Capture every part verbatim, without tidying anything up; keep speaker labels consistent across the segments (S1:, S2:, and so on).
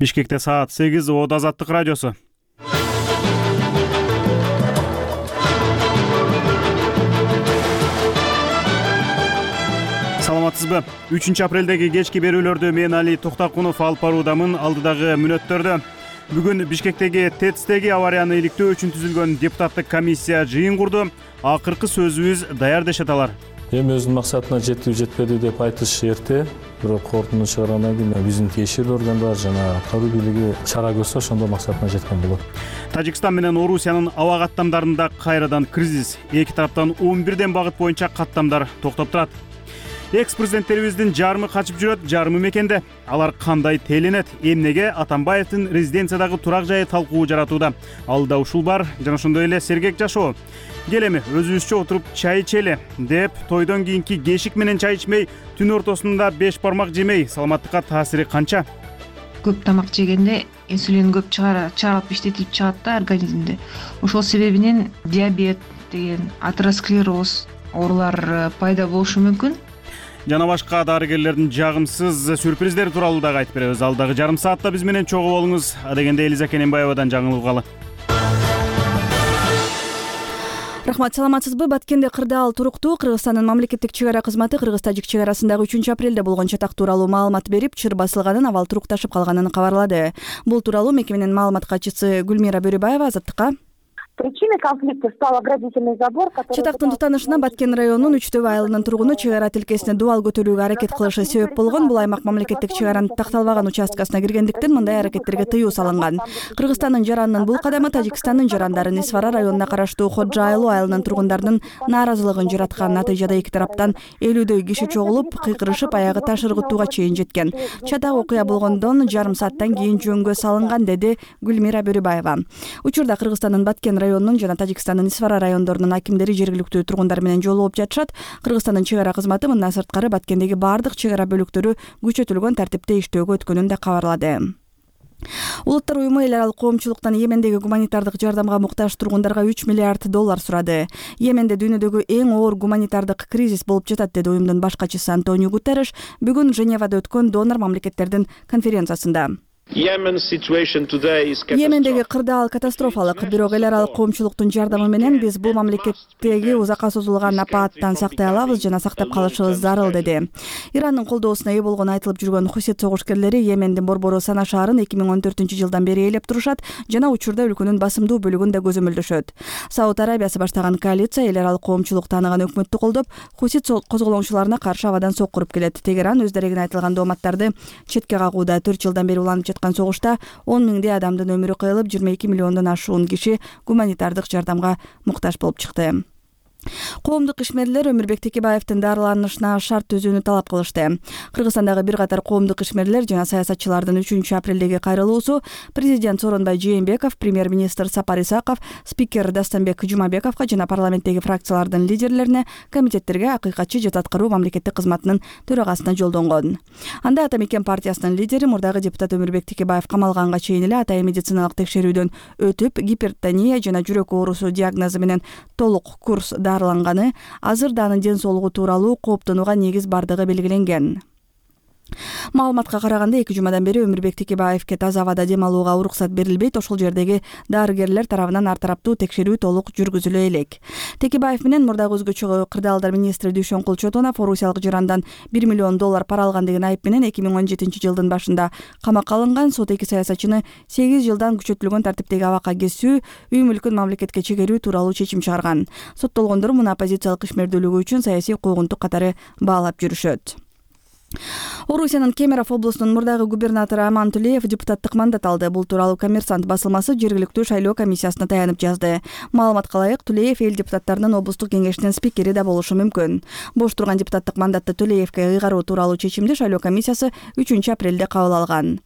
S1: Бишкекте саат сегиз, Ода Азаттык радиосу. Саламатсызбы? үчүнчү апрелдеги кечки берүүлөрдү мен Али Токтакунов алып баруудамын. Алдыдагы мүнөттөрдө бүгүн Бишкектеги ТЭЦтеги аварияны иликтөө үчүн түзүлгөн депутаттык комиссия жыйын курду. Акыркы сөзүбүз даяр дешет алар.
S2: Эми өзүнүн максатына жетип жетпеди деп айтыш эрте, бирок корутунду чыгарандан кийин биздин тиешелүү органдар жана аткаруу бийлиги чара көрсө ошондо максатына жеткен болот.
S1: Тажикстан менен Орусиянын аба каттамдарында кайрадан кризис. Эки тараптан он бирден багыт боюнча каттамдар токтоп турат. Экс-президенттерибиздин жарымы качып жүрөт, жарымы мекенде. Алар кандай теленет? Эмнеге Атамбаевдин резиденциядагы турак жайы талкуу жаратууда? Алда ушул бар, жана ошондой эле сергек жашоо. Келеми өзүбүзчө отуруп чай ичели деп тойдон кийинки кешик менен чай ичмей, түн ортосунда беш бармак жемей саламаттыкка таасири канча?
S3: Көп тамак жегенде инсулин көп чыгарып иштетип чыгат да организмде. Ошол себебинен диабет деген, атеросклероз оорулар пайда болушу мүмкүн.
S1: Жана башка дарыгерлердин жагымсыз сюрприздери тууралуу дагы айтып беребиз. Алдагы жарым саатта биз менен чогуу болуңуз. Адегенде Элиза Кененбаевадан жаңылып угалы.
S4: Рахмат, саламатсызбы? Баткенде кырдаал туруктуу. Кыргызстандын мамлекеттик чек ара кызматы Кыргыз-Тажик чек арасындагы үчүнчү апрелде болгон чатак тууралуу маалымат берип, чыр басылганын, абал турукташып калганын кабарлады. Бул тууралуу мекеменин маалымат катчысы Гүлмира Бөрүбаева Азаттыкка:
S5: Причиной конфликта стал оградительный забор, который...
S4: Чатактын тутанышына Баткен районунун Үчтөбө айылынын тургуну чек ара тилкесине дубал көтөрүүгө аракет кылышы себеп болгон. Бул аймак мамлекеттик чек аранын такталбаган участкасына киргендиктен мындай аракеттерге тыюу салынган. Кыргызстандын жаранынын бул кадамы Тажикстандын жарандарын Исвара районуна караштуу Ходжа айылы айылынын тургундарынын нааразылыгын жараткан. Натыйжада эки тараптан элүүдөй киши чогулуп, кыйкырышып, аягы таш ыргытууга чейин жеткен. Чатак окуя болгондон жарым сааттан кийин жөнгө салынган, деди Гүлмира Бөрүбаева. Учурда Кыргызстандын Баткен районунун жана Тажикстандын Исвара райондорунун акимдери жергиликтүү тургундар менен жолугуп жатышат. Кыргызстандын чек ара кызматы мындан сырткары Баткендеги бардык чек ара бөлүктөрү күчөтүлгөн тартипте иштөөгө өткөнүн да кабарлады. Улуттар уюму эл аралык коомчулуктан Йемендеги гуманитардык жардамга муктаж тургундарга үч миллиард доллар сурады. Йеменде дүйнөдөгү эң оор гуманитардык кризис болуп жатат, деди уюмдун баш катчысы Антонио Гутерриш бүгүн Женевада өткөн донор мамлекеттердин конференциясында. Йемендеги кырдаал катастрофалык, бирок эл аралык коомчулуктун жардамы менен биз бул мамлекеттеги узакка созулган апааттан сактай алабыз жана сактап калышыбыз зарыл, деди. Ирандын колдоосуна ээ болгону айтылып жүргөн Хусит согушкерлери Йемендин борбору Сана шаарын эки миң он төртүнчү жылдан бери ээлеп турушат жана учурда өлкөнүн басымдуу бөлүгүн да көзөмөлдөшөт. Сауд Арабиясы баштаган коалиция эл аралык коомчулук тааныган өкмөттү колдоп, Хусит козголоңчуларына каршы абадан соккуруп келет. Тегеран өз дарегине айтылган дооматтарды четке кагууда. төрт жылдан бери уланып жаткан согушта он миңдей адамдын өмүрү кыйылып, жыйырма эки миллиондон ашуун киши гуманитардык жардамга муктаж болуп чыкты. Коомдук ишмерлер Өмүрбек Текебаевдин дарыланышына шарт түзүүнү талап кылышты. Кыргызстандагы бир катар коомдук ишмерлер жана саясатчылардын үчүнчү апрелдеги кайрылуусу президент Сооронбай Жээнбеков, премьер-министр Сапар Исаков, спикер Дастанбек Жумабековго жана парламенттеги фракциялардын лидерлерине, комитеттерге, акыйкатчы жат аткаруу мамлекеттик кызматынын төрагасына жолдонгон. Анда Ата Мекен партиясынын лидери, мурдагы депутат Өмүрбек Текебаев камалганга чейин эле атайын медициналык текшерүүдөн өтүп, гипертония жана жүрөк оорусу диагнозу менен толук курс дарыланганы, азыр да анын ден соолугу тууралуу кооптонууга негиз бардыгы белгиленген. Маалыматка караганда эки жумадан бери Өмүрбек Текебаевке таза абада дем алууга уруксат берилбейт. Ошол жердеги дарыгерлер тарабынан ар тараптуу текшерүү толук жүргүзүлө элек. Текебаев менен мурдагы өзгөчө кырдаалдар министри Дүйшөнкул Чотонов орусиялык жарандан бир миллион доллар пара алган деген айып менен эки миң он жетинчи жылдын башында камакка алынган. Сот эки саясатчыны сегиз жылдан күчөтүлгөн тартиптеги абакка кесүү, үй мүлкүн мамлекетке чегерүү тууралуу чечим чыгарган. Соттолгондор муну оппозициялык ишмердүүлүгү үчүн саясий койгунтук катары баалап жүрүшөт. Орусиянын Кемерово облусунун мурдагы губернатору Аман Тулеев депутаттык мандат алды. Бул тууралуу Коммерсант басылмасы жергиликтүү шайлоо комиссиясына таянып жазды. Маалыматка ылайык, Тулеев эл депутаттарынын облустук кеңешинин спикери да болушу мүмкүн. Бош турган депутаттык мандатты Тулеевке ыйгаруу тууралуу чечимди шайлоо комиссиясы үчүнчү апрелде кабыл алган.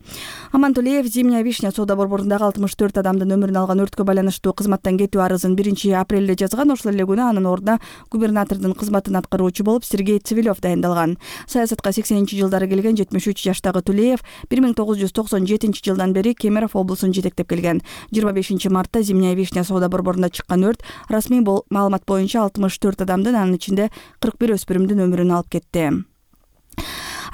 S4: Аман Тулеев Зимняя вишня соода борборундагы алтымыш төрт адамдын өмүрүн алган өрткө байланыштуу кызматтан кетүү арызын биринчи апрелде жазган. Ошол эле күнү анын ордуна губернатордун кызматын аткаруучу болуп Сергей Цивилев дайындалган. Саясатка сексенинчи жылдары келген жетимиш үч жаштагы Тулеев бир миң тогуз жүз токсон жетинчи жылдан бери Кемерово облусун жетектеп келген. жыйырма бешинчи мартта Зимняя вишня соода борборунда чыккан өрт расмий маалымат боюнча алтымыш төрт адамдын, анын ичинде кырк бир өспүрүмдүн өмүрүн алып кетти.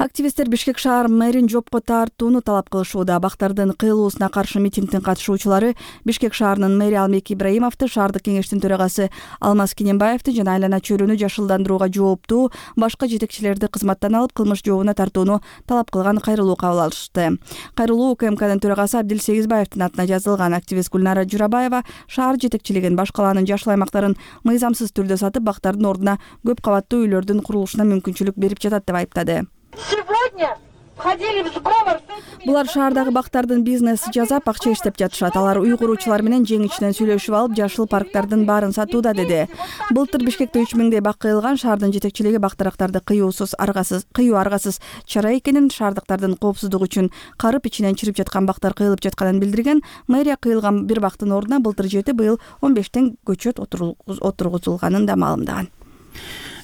S4: Активисттер Бишкек шаар мэрин жопко тартууну талап кылышууда. Бактардын кыйылуусуна каршы митингдин катышуучулары Бишкек шаарынын мэри Алмек Ибраимовду, шаардык кеңештин төрагасы Алмаз Кененбаевди жана айлана чөйрөнү жашылдандырууга жооптуу башка жетекчилерди кызматтан алып кылмыш жообуна тартууну талап кылган кайрылуу кабыл алышты. Кайрылуу УКМКнын төрагасы Абдил Сегизбаевдин атына жазылган. Активист Гүлнара Журабаева шаар жетекчилигин баш калаанын жашыл аймактарын мыйзамсыз түрдө сатып, бактардын ордуна көп кабаттуу үйлөрдүн курулушуна мүмкүнчүлүк берип жатат деп айыптады.
S6: Сегодня входили в сговор с этими...
S4: Булар шаардагы бактардын бизнеси жасап, акча иштеп жатышат. Алар үй куруучулар менен жең ичинен сүйлөшүп алып, жашыл парктардын баарын сатууда, деди. Былтыр Бишкекте үч миңдей бак кыйылган. Шаардын жетекчилиги бактарактарды кыюусуз, аргасыз, кыюу аргасыз чара экенин, шаардыктардын коопсуздугу үчүн карып ичинен чирип жаткан бактар кыйылып жатканын билдирген. Мэрия кыйылган бир бактын ордуна былтыр жети, быйыл он бештен көчөт отургузулганын да маалымдаган.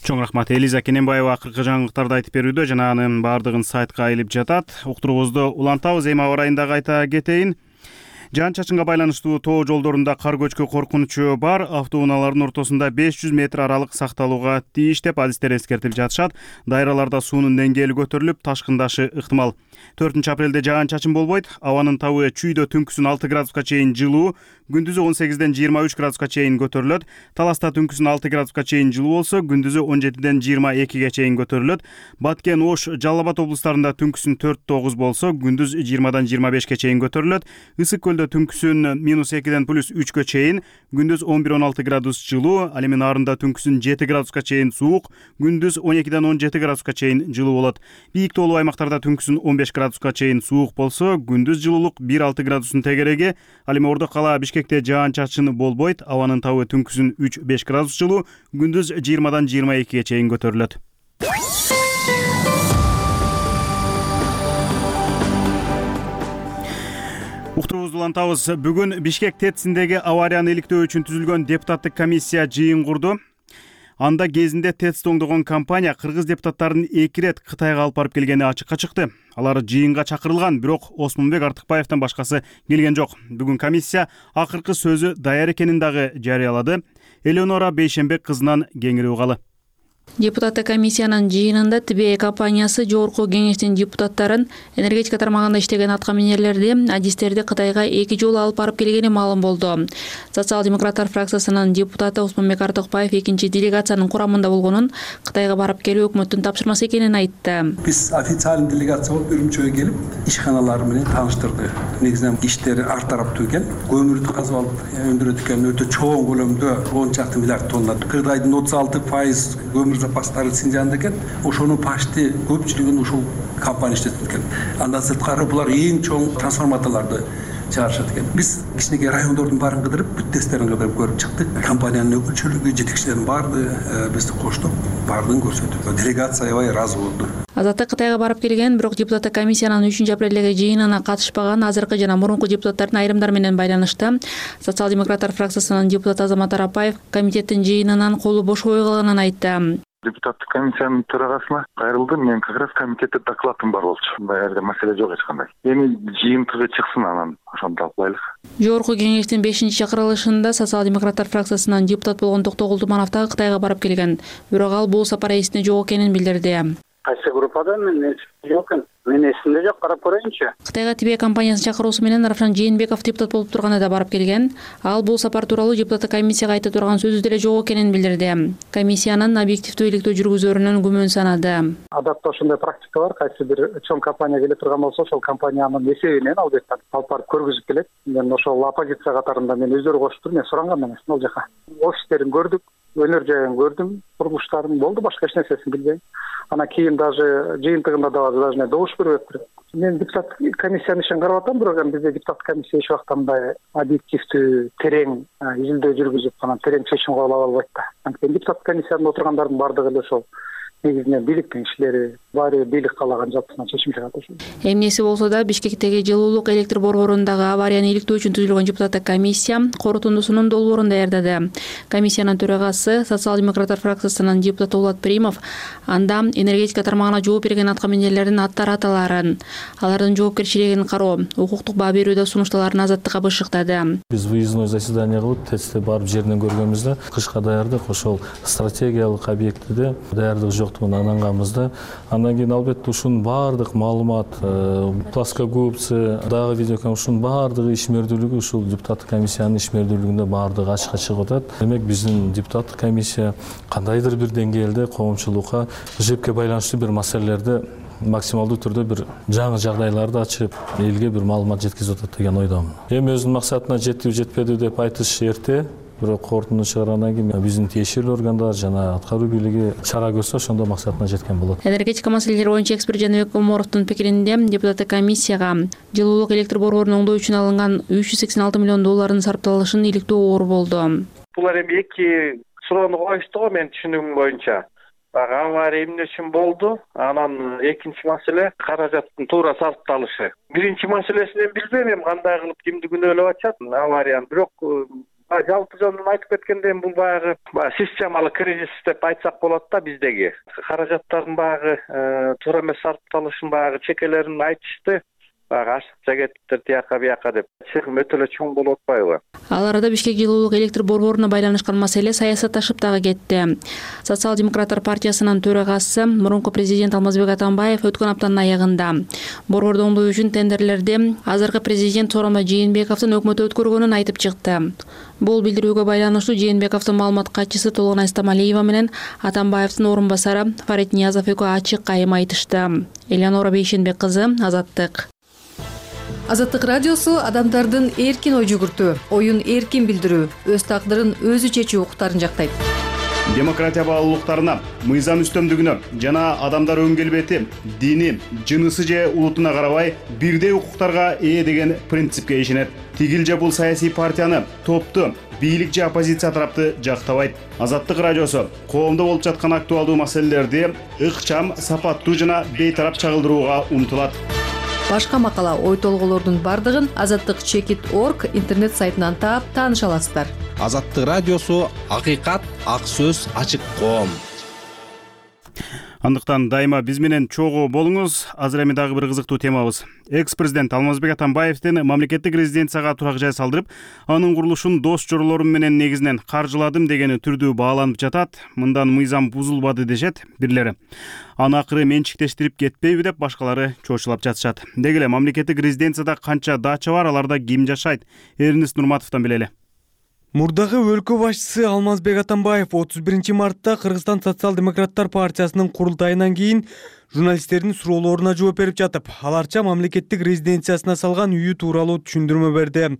S1: Чоң рахмат. Элиза Кененбаева акыркы жаңылыктарды айтып берүүдө, жана анын баардыгын сайтка илип жатат. Уктуруубузду улантабыз. Эми аба ырайында кайта кетейин. Жаан-чачынга байланыштуу тоо жолдорунда кар көчкү коркунучу бар. Автоунаалардын ортосунда беш жүз метр аралык сакталууга тийиш деп адистер эскертип жатышат. Дайраларда суунун деңгээли көтөрүлүп, ташкындашы ыктымал. төртүнчү апрелде жаан-чачын болбойт. Абанын табы чүйдө түнкүсүн алты градуска чейин жылуу, күндүзү он сегизден жыйырма үч градуска чейин көтөрүлөт. Таласта түнкүсүн алты градуска чейин жылуу болсо, күндүзү он жетиден жыйырма экиге чейин көтөрүлөт. Баткен, Ош, Жалал Абад облустарында түнкүсүн төрт тогуз болсо, күндүз жыйырмадан жыйырма бешке чейин көтөрүлөт. Ысык көлдө түнкүсүн минус экиден плюс үчкө чейин, күндүз он бир он алты градус жылуу, ал эми Нарында түнкүсүн жети градуска чейин суук, күндүз он экиден он жети градуска чейин жылуу болот. Бийик тоолуу аймактарда түнкүсүн он беш градуска чейин суук болсо, күндүз жылуулук бир алты градустун тегереги. Ал эми Ордо кала Бишкекте жаан-чачын болбойт. Абанын табы түнкүсүн үч беш градус жылуу, күндүз жыйырмадан жыйырма экиге чейин көтөрүлөт. Уктуруубузду улантабыз. Бүгүн Бишкек ТЭЦиндеги аварияны иликтөө үчүн түзүлгөн депутаттык комиссия жыйын курду. Анда кезинде ТЭЦти оңдогон компания кыргыз депутаттарын эки ирет Кытайга алып барып келгени ачыкка чыкты. Алар жыйынга чакырылган, бирок Осмонбек Артыкбаевден башкасы келген жок. Бүгүн комиссия акыркы сөзү даяр экенин дагы жарыялады. Элеонора Бейшембек кызынан кеңири угалы.
S7: Депутаттык комиссиянын жыйынында Т Б компаниясы жогорку кеңештин депутаттарын энергетика тармагында иштеген аткаминерлерди, адистерди Кытайга эки жолу алып барып келгени маалым болду. Социал-демократтар фракциясынын депутаты Осмонбек Артыкбаев экинчи делегациянын курамында болгонун, Кытайга барып келүү өкмөттүн тапшырмасы экенин айтты.
S8: Биз официалдуу делегация болуп Үрүмчүгө келип, ишканалар менен тааныштырды. Негизинен иштери ар тараптуу экен. Көмүрдү казып алып өндүрөт экен, өтө чоң көлөмдө он чакты миллиард тонна. Кыргыздын отуз алты пайыз көмүр запастары Синжанда экен. Ошонун почти көпчүлүгүн ушул компания иштетет экен. Андан сырткары булар эң чоң трансформаторлорду чыгарышат экен. Биз кичинекей райондордун баарын кыдырып, бүт тесттерин кыдырып көрүп чыктык. Компаниянын өкүлчүлүгү, жетекчилерин баарды бизди коштоп, баардыгын көрсөтүп, делегация аябай ыраазы болду.
S7: Азаттык Кытайга барып келген, бирок депутаттык комиссиянын үчүнчү апрелдеги жыйынына катышпаган азыркы жана мурунку депутаттардын айрымдары менен байланышты. Социал-демократтар фракциясынын депутаты Азамат Арапаев комитеттин жыйынынан колу бошобой калганын айтты.
S9: Депутаттык комиссиянын төрагасына кайрылдым. Мен как раз комитетте докладым бар болчу. Мындай жерде маселе жок эч кандай. Эми жыйынтыгы чыксын, анан ошону талкуулайлык.
S7: Жогорку кеңештин бешинчи чакырылышында социал-демократтар фракциясынан депутат болгон Токтогул Туманов дагы Кытайга барып келген. Бирок ал бул сапар эсинде жок экенин билдирди.
S10: Кайсы группада мен жок экен. Мен эсимде жок, карап көрөйүнчү.
S7: Кытайга Т Б компаниясынын чакыруусу менен Равшан Жээнбеков депутат болуп турганда да барып келген. Ал бул сапар тууралуу депутаттык комиссияга айта турган сөзү деле жок экенин билдирди. Комиссиянын объективдүү иликтөө жүргүзөрүнөн күмөн санады.
S10: Адатта ошондой практика бар. Кайсы бир чоң компания келе турган болсо, ошол компаниянын эсебинен албетте алып барып көргүзүп келет. Мен ошол оппозиция катарында мен өздөрү кошуптур, мен суранган эмес ал жака. Офистерин көрдүк, өнөр жайын көрдүм, курулуштарын болду, башка эч нерсесин билбейм. Анан кийин даже жыйынтыгында да даже добуш бериптир. Мен депутат комиссиянын ишин карап атам, бирок эми бизде депутат комиссия эч убакта мындай объективдүү, терең изилдөө жүргүзүп, анан терең чечим кабыл ала албайт да. Анткени депутат комиссиясында отургандардын баардыгы эле ошол негизинен бийликтин кишилери, баары билик каалаган жалтысынан чечим чыгат ошол.
S7: Эмнеси болсо да Бишкектеги жылуулук электр борборундагы аварияны иликтөө үчүн түзүлгөн депутаттык комиссия корутундусунун долбоорун даярдады. Комиссиянын төрагасы социал-демократтар фракциясынын депутаты Улат Примов анда энергетика тармагына жооп берген аткаминерлердин аттары аталарын, алардын жоопкерчилигин кароо, укуктук баа берүүдө сунушталарын азаттыкка бышыктады.
S2: Биз выездной заседание кылып, ТЭЦти барып жеринен көргөнбүз да, кышка даярдык, ошол стратегиялык объектиде даярдык жок ортуна айланганбыз да. Андан кийин албетте ушунун баардык маалымат, плоскогубцы, дагы видеокамера ушунун баардыгы ишмердүүлүгү ушул депутаттык комиссиянын ишмердүүлүгүндө баардыгы ачыкка чыгып атат. Демек биздин депутаттык комиссия кандайдыр бир деңгээлде коомчулукка жепке байланыштуу бир маселелерди максималдуу түрдө бир жаңы жагдайларды ачып, элге бир маалымат жеткизип атат деген ойдомун. Эми өзүнүн максатына жетиби жетпеди деп айтыш эрте, бирок корутунду чыгаргандан кийин биздин тиешелүү органдар жана аткаруу бийлиги чара көрсө, ошондо максатына жеткен болот.
S7: Энергетика маселелери боюнча эксперт Жаныбек Омаровдун пикиринде, депутаттык комиссияга жылуулук электр борборун оңдоо үчүн алынган үч жүз сексен алты миллион доллардын сарпталышын иликтөө оор болду.
S11: Булар эми эки суроону коюшту го, менин түшүнүгүм боюнча. Авария эмне үчүн болду? Анан экинчи маселе каражаттын туура сарпталышы. Биринчи маселесин билбейм, эми кандай кылып кимди күнөөлөп атышат аварияны, бирок жалпы жөнүн айтып кеткенде бул баягы системалык кризис деп айтсак болот да биздеги. Каражаттардын баягы туура эмес сарпталышын баягы чекелерин айтышты. Багы ашыкча кеттиптир тияка бияка деп. Чыгым өтө эле чоң болуп атпайбы?
S7: Ал арада Бишкек жылуулук электр борборуна байланышкан маселе саясатташып дагы кетти. Социал-демократтар партиясынын төрагасы, мурунку президент Алмазбек Атамбаев өткөн аптанын аягында борборду оңдоо үчүн тендерлерди азыркы президент Сооронбай Жээнбековдун өкмөтү өткөргөнүн айтып чыкты. Бул билдирүүгө байланыштуу Жээнбековдун маалымат катчысы Толгонай Стамалиева менен Атамбаевдин орун басары Фарид Ниязов экөө ачык айым айтышты. Элеонора Бейшенбек кызы, Азаттык.
S12: Азаттык радиосу адамдардын эркин ой жүгүртүү, оюн эркин билдирүү, өз тагдырын өзү чечүү укуктарын жактайт.
S1: Демократия баалуулуктарына, мыйзам үстөмдүгүнө жана адамдар өң келбети, дини, жынысы же улутуна карабай бирдей укуктарга ээ деген принципке ишенет. Тигил же бул саясий партияны, топту, бийлик же оппозиция тарапты жактабайт. Азаттык радиосу коомдо болуп жаткан актуалдуу маселелерди ыкчам, сапаттуу жана бейтарап чагылдырууга умтулат.
S12: Башка макала, ой толголордун бардыгын азаттык чекит точка орг интернет сайтынан таап тааныша аласыздар.
S13: Азаттык радиосу акыйкат, ак сөз, ачык коом.
S1: Андыктан дайыма биз менен чогуу болуңуз. Азыр эми дагы бир кызыктуу темабыз. Экс-президент Алмазбек Атамбаевдин мамлекеттик резиденцияга турак жай салдырып, анын курулушун дос жоролорум менен негизинен каржыладым дегени түрдүү бааланып жатат. Мындан мыйзам бузулбады дешет бирлери. Аны акыры менчиктештирип кетпейби деп башкалары чочулап жатышат. Деги эле мамлекеттик резиденцияда канча дача бар, аларда ким жашайт? Эрнест Нурматовдон билели.
S14: Мурдагы өлкө башчысы Алмазбек Атамбаев отуз биринчи мартта Кыргызстан социал-демократтар партиясынын курултайынан кийин журналисттердин суроолоруна жооп берип жатып, аларча мамлекеттик резиденциясына салган үйү тууралуу түшүндүрмө берди.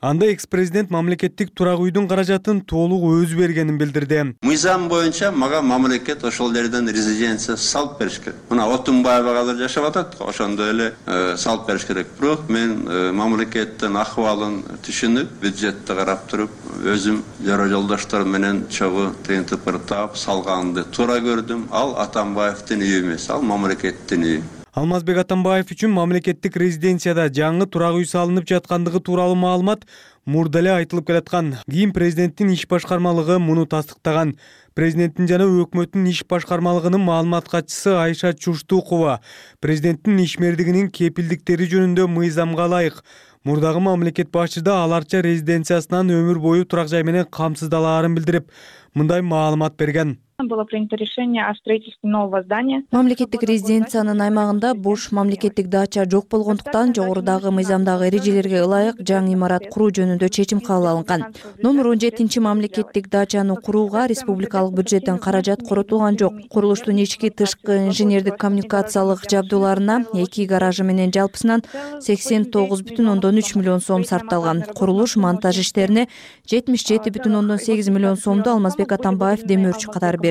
S14: Анда экс-президент мамлекеттик турак үйдүн каражатын толук өзү бергенин билдирди.
S15: Мыйзам боюнча мага мамлекет ошол жерден резиденция салып бериш керек. Мына Отунбаева азыр жашап атат, ошондой эле салып бериш керек. Бирок мен мамлекеттин акыбалын түшүнүп, бюджетти карап туруп, өзүм жора жолдоштор менен чогуу тыйын тыпыр таап салганды туура көрдүм. Ал Атамбаевдин үйү эмес, ал мамлекеттин үйү.
S14: Алмазбек Атамбаев үчүн мамлекеттик резиденцияда жаңы турак үй салынып жаткандыгы тууралуу маалымат мурда эле айтылып келаткан. Кийин президенттин иш башкармалыгы муну тастыктаган. Президенттин жана өкмөттүн иш башкармалыгынын маалымат катчысы Айша Чуштукова президенттин ишмердигинин кепилдиктери жөнүндө мыйзамга ылайык мурдагы мамлекет башчыда аларча резиденциясынан өмүр бою турак жай менен камсыздалаарын билдирип, мындай маалымат берген.
S16: Было принято решение о строительстве нового здания.
S17: Мамлекеттик резиденциянын аймагында бош мамлекеттик дача жок болгондуктан жогорудагы мыйзамдагы эрежелерге ылайык жаңы имарат куруу жөнүндө чечим кабыл алынган. Номер он жетинчи мамлекеттик дачаны курууга республикалык бюджеттен каражат коротулган жок. Курулуштун ички тышкы инженердик коммуникациялык жабдууларына эки гаражы менен жалпысынан сексен тогуз бүтүн ондон үч миллион сом сарпталган. Курулуш монтаж иштерине жетимиш жети бүтүн ондон сегиз миллион сомду Алмазбек Атамбаев демөөрчү катары берди.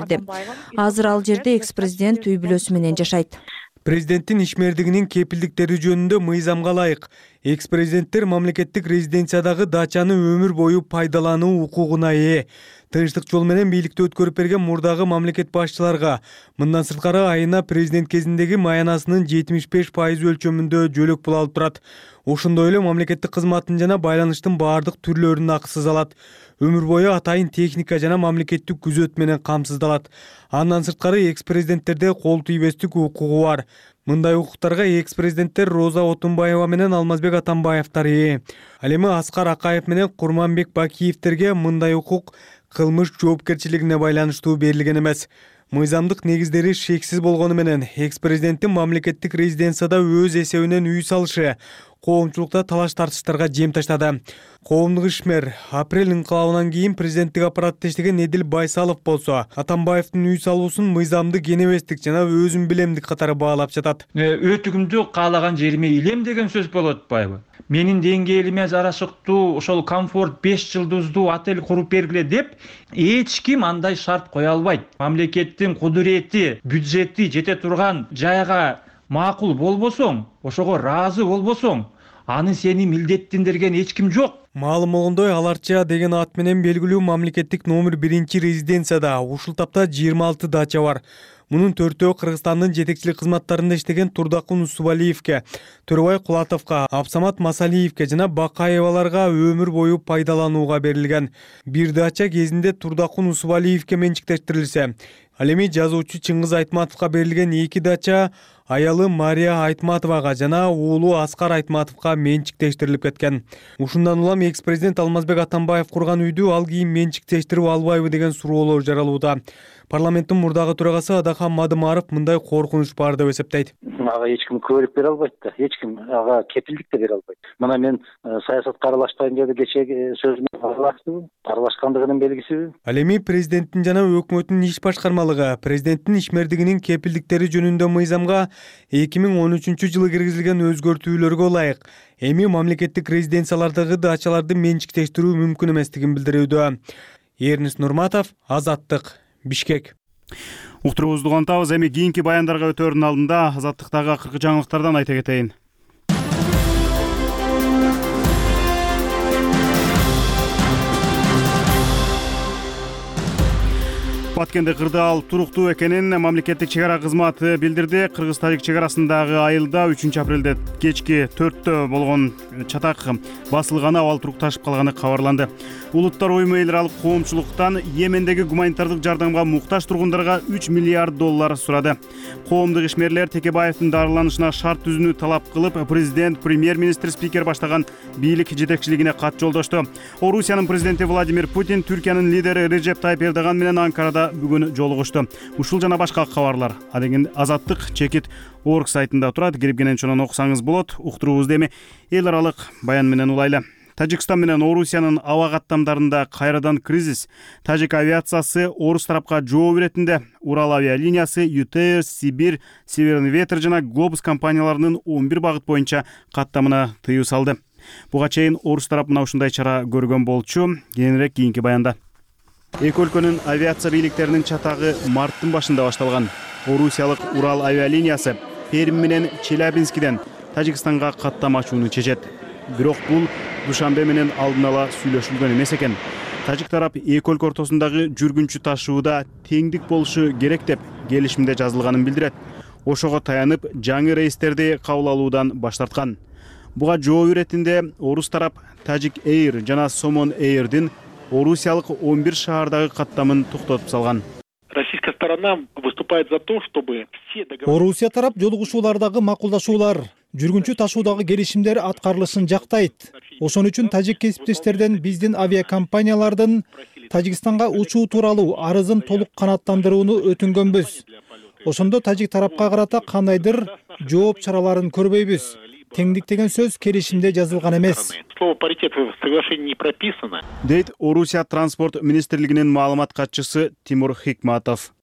S17: Азыр ал жерде экс-президент үй бүлөсү менен жашайт.
S14: Президенттин ишмердигинин кепилдиктери жөнүндө мыйзамга ылайык экс-президенттер мамлекеттик резиденциядагы дачаны өмүр бою пайдалануу укугуна ээ. Тынчтык жол менен бийликти өткөрүп берген мурдагы мамлекет башчыларга мындан сырткары айына президент кезиндеги маянасынын жетимиш беш пайыз өлчөмүндө жөлөк пул алып турат. Ошондой эле мамлекеттик кызматтын жана байланыштын баардык түрлөрүн акысыз алат. Өмүр бою атайын техника жана мамлекеттик күзөт менен камсыздалат. Андан сырткары экс-президенттерде кол тийбестик укугу бар. Мындай укуктарга экс-президенттер Роза Отунбаева менен Алмазбек Атамбаевтар ээ. Ал эми Аскар Акаев менен Курманбек Бакиевтерге мындай укук кылмыш жоопкерчилигине байланыштуу берилген эмес. Мыйзамдык негиздери шексиз болгону менен экс президенттин мамлекеттик резиденцияда өз эсебинен үй салышы коомчулукта талаш тартыштарга жем таштады. Коомдук ишмер апрель инкылабынан кийин президенттик аппаратта иштеген Эдил Байсалов болсо Атамбаевдин үй салуусун мыйзамдык энебестик жана өзүн билемдик катары баалап жатат.
S18: Өтүгүмдү каалаган жериме илем деген сөз болуп атпайбы? Менин деңгээлиме жарашыктуу ошол комфорт беш жылдыздуу отель куруп бергиле деп эч ким андай шарт кое албайт. Мамлекеттин кудурети, бюджети жете турган жайга макул болбосоң, ошого ыраазы болбосоң, аны сени милдеттендирген эч ким жок.
S14: Маалым болгондой, Аларча деген ат менен белгилүү мамлекеттик номер биринчи резиденцияда ушул тапта жыйырма алты дача бар. Мунун төртөө Кыргызстандын жетекчилик кызматтарында иштеген Турдакун Усубалиевке, Төрөбай Кулатовго, Абсамат Масалиевке жана Бакаеваларга өмүр бою пайдаланууга берилген. Бир дача кезинде Турдакун Усубалиевке менчиктештирилсе, ал эми жазуучу Чыңгыз Айтматовго берилген эки дача аялы Мария Айтматовага жана уулу Аскар Айтматовго менчиктештирилип кеткен. Ушундан улам экс-президент Алмазбек Атамбаев курган үйдү ал кийин менчиктештирип албайбы деген суроолор жаралууда. Парламенттин мурдагы төрагасы Адахан Мадымаров мындай коркунуч бар деп эсептейт.
S19: Ага эч ким күбөлүк бере албайт да, эч ким ага кепилдик да бере албайт. Мына мен саясатка аралашпайм деп кечеги сөзүмө аралаштым, аралашкандыгынын белгисиби?
S14: Ал эми президенттин жана өкмөттүн иш башкармалыгы президенттин ишмердигинин кепилдиктери жөнүндө мыйзамга эки миң он үчүнчү жылы киргизилген өзгөртүүлөргө ылайык эми мамлекеттик резиденциялардагы дачаларды менчиктештирүү мүмкүн эместигин билдирүүдө. Эрнис Нурматов, Азаттык, Бишкек.
S1: Уктуруубузду улантабыз. Эми кийинки баяндарга өтөөрдүн алдында Азаттыктагы акыркы жаңылыктардан айта кетейин. Баткенде кырдаал туруктуу экенин мамлекеттик чек ара кызматы билдирди. Кыргыз-тажик чек арасындагы айылда үчүнчү апрелде кечки төрттө болгон чатак басылганы, абал турук ташып калганы кабарланды. Улуттар уюму эл аралык коомчулуктан Йемендеги гуманитардык жардамга муктаж тургундарга үч миллиард доллар сурады. Коомдук ишмерлер Текебаевдин дарыланышына шарт түзүүнү талап кылып, президент, премьер-министр, спикер баштаган бийлик жетекчилигине кат жолдошту. Орусиянын президенти Владимир Путин Түркиянын лидери Режеп Тайып Эрдоган менен Анкарада бүгүн жолугушту. Ушул жана башка кабарлар адеген Азаттык чекит орг сайтында турат. Кирип кенен окусаңыз болот. Уктуруубузду эми эл аралык баян менен улайлы. Тажикстан менен Орусиянын аба каттамдарында кайрадан кризис. Тажик авиациясы орус тарапка жооп беретинде Урал авиалиниясы, ю тэ эр, Сибирь, Северный ветер жана Глобус компанияларынын он бир багыт боюнча каттамына тыюу салды. Буга чейин орус тарап мына ушундай чара көргөн болчу. Кийинирээк кийинки баянда. Эки өлкөнүн авиация бийликтеринин чатагы марттын башында башталган. Орусиялык Урал авиалиниясы Пермь менен Челябинскиден Тажикстанга каттама ачууну чечет. Бирок бул Душанбе менен алдын ала сүйлөшүлгөн эмес экен. Тажик тарап эки өлкө ортосундагы жүргүнчү ташууда теңдик болушу керек деп келишимде жазылганын билдирет. Ошого таянып, жаңы рейстерди кабыл алуудан баш тарткан. Буга жооп иретинде орус тарап Tajik Air жана Somon Air'дин Орусиялык он бир шаардагы каттамын токтотуп салган.
S20: Российская сторона выступает за то, чтобы все договоры...
S21: Орусия тарап жолугушуулардагы макулдашуулар, жүргүнчү ташуудагы келишимдер аткарылышын жактайт. Ошон үчүн тажик кесиптештерден биздин авиакомпаниялардын Тажикстанга учуу тууралуу арызын толук канааттандырууну өтүнгөнбүз. Ошондо тажик тарапка карата кандайдыр жооп чараларын көрбөйбүз. Теңдик деген сөз келишимде жазылган эмес.
S20: Слово паритет в соглашении не прописано.
S1: Дейт Орусия транспорт министрлигинин маалымат катчысы Тимур Хикматов.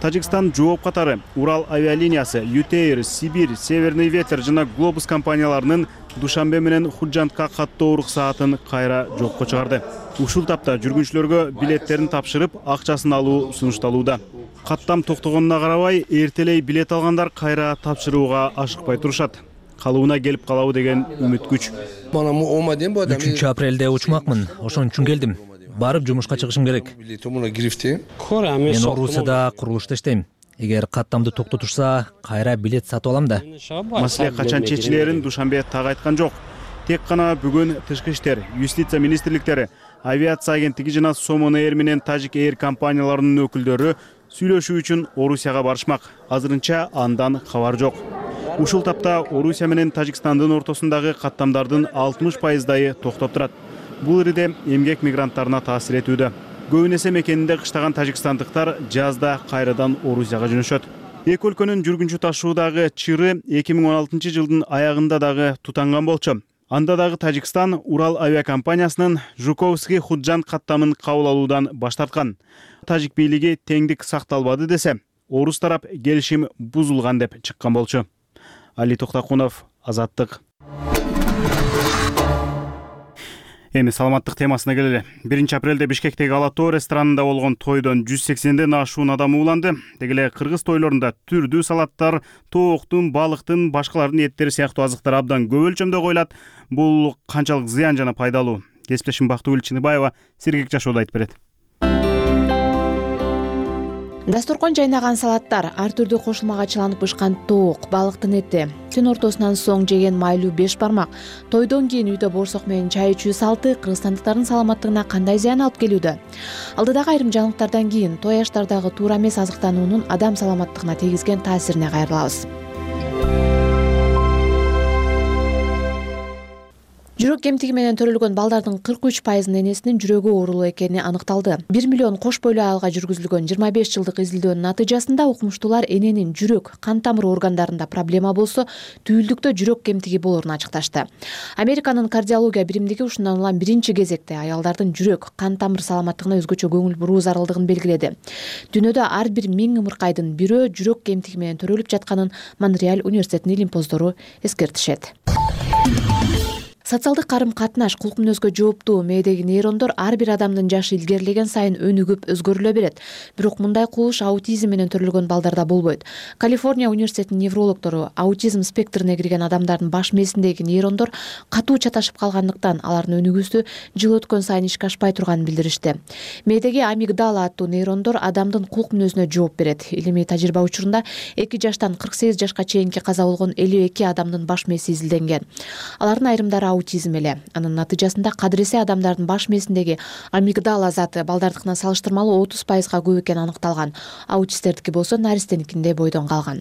S1: Тажикстан жооп катары Урал авиалиниясы, ю тэ эр, Сибирь, Северный ветер жана Глобус компанияларынын Душанбе менен Худжантка каттоо уруксаатын кайра жокко чыгарды. Ушул тапта жүргүнчүлөргө билеттерин тапшырып, акчасын алуу сунушталууда. Каттам токтогонуна карабай, эртелей билет алгандар кайра тапшырууга ашыкпай турушат. Калууна келип калабы деген үмүт күч.
S22: үчүнчү апрелде учмакмын, ошон үчүн келдим. Барып жумушка чыгышым керек. Мен Орусияда курулушта иштейм. Эгер каттамды токтотушса, кайра билет сатып алам да.
S1: Маселе качан чечилерин Душанбе так айткан жок. Тек гана бүгүн тышкы иштер, юстиция министрликтери, авиация агенттиги жана Somon Air менен Tajik Air компанияларынын өкүлдөрү сүйлөшүү үчүн Орусияга барышмак. Азырынча андан кабар жок. Ушул тапта Орусия менен Тажикстандын ортосундагы каттамдардын алтымыш пайыздайы токтоп турат. Бул ириде эмгек мигранттарына таасир этүүдө. көбүн эсе мекенинде кыштаган тажикстандыктар жазда кайрадан Орусияга жөнөшөт. Эки өлкөнүн жүргүнчү ташуудагы чыры эки миң он алтынчы жылдын аягында дагы тутанган болчу. Анда дагы Тажикстан Урал авиакомпаниясынын Жуковский Худжан каттамын кабыл алуудан баш тарткан. Тажик бийлиги теңдик сакталбады десе, орус тарап келишим бузулган деп чыккан болчу. Али Токтакунов, Азаттык. Эми саламаттык темасына келели. биринчи апрелде Бишкектеги Ала Тоо ресторанында болгон тойдон жүз сексенден ашуун адам ууланды. Деги эле кыргыз тойлорунда түрдүү салаттар, тооктун, балыктын, башкалардын эттери сыяктуу азыктар абдан көп өлчөмдө коюлат. Бул канчалык зыян жана пайдалуу? Кесиптешим Бактыгүл Чыныбаева Сергек Жашоодо айтып берет.
S3: Дасторкон жайнаган салаттар, ар түрдүү кошулмага чыланып бышкан тоок, балыктын эти, түн ортосунан соң жеген майлуу беш бармак, тойдон кийин үйдө боорсок менен чай ичүү салты кыргызстандыктардын саламаттыгына кандай зыян алып келүүдө? Алдыдагы айрым жаңылыктардан кийин той аштардагы туура эмес азыктануунун адам саламаттыгына тийгизген таасирине кайрылабыз. Жүрөк кемтиги менен төрөлгөн балдардын кырк үч пайызынын энесинин жүрөгү оорулуу экени аныкталды. бир миллион кош бойлуу айылга жүргүзүлгөн жыйырма беш жылдык изилдөөнүн натыйжасында укмуштуулар эненин жүрөк, кан тамыр органдарында проблема болсо, түйүлдүктө жүрөк кемтиги болорун ачыкташты. Американын кардиология биримдиги ушундан улам биринчи кезекте аялдардын жүрөк, кан тамыр саламаттыгына өзгөчө көңүл буруу зарылдыгын белгиледи. Дүйнөдө ар бир миң ымыркайдын бирөө жүрөк кемтиги менен төрөлүп жатканын Монреаль университетинин илимпоздору эскертишет. Социалдык карым-катнаш, кулк-мүнөзгө жооптуу мээдеги нейрондор ар бир адамдын жашы илгерилеген сайын өнүгүп өзгөрүлө берет. Бирок мындай кубулуш аутизм менен төрөлгөн балдарда болбойт. Калифорния университетинин неврологдору аутизм спектрине кирген адамдардын баш мээсиндеги нейрондор катуу чаташып калгандыктан алардын өнүгүүсү жыл өткөн сайын ишке ашпай турганын билдиришти. Мээдеги амигдала аттуу нейрондор адамдын кулк-мүнөзүнө жооп берет. Илимий тажрыйба учурунда эки жаштан кырк сегиз жашка чейинки каза болгон элүү эки адамдын баш мээси изилденген. Алардын айрымдары аутизм эле. Анын натыйжасында кадыресе адамдардын баш мээсиндеги амигдала заты балдардыкына салыштырмалуу отуз пайызга көп экени аныкталган. Аутисттердики болсо наристеникиндей бойдон калган.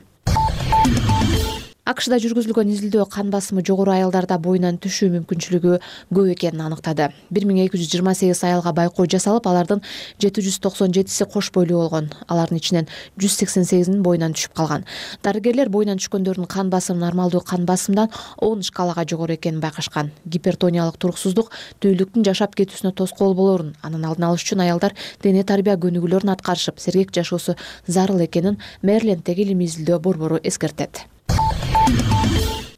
S3: АКШда жүргүзүлгөн изилдөө кан басымы жогору аялдарда боюнан түшүү мүмкүнчүлүгү көп экенин аныктады. бир миң эки жүз жыйырма сегиз аялга байкоо жасалып, алардын жети жүз токсон жетиси кош бойлуу болгон. Алардын ичинен жүз сексен сегизинин боюнан түшүп калган. Дарыгерлер боюнан түшкөндөрдүн кан басымы нормалдуу кан басымдан он шкалага жогору экенин байкашкан. Гипертониялык туруксуздук түйүлдүктүн жашап кетүүсүнө тоскоол болорун, анын алдын алыш үчүн аялдар дене тарбия көнүгүүлөрүн аткарышып, сергек жашоосу зарыл экенин Мэриленддеги илимий изилдөө борбору эскертет.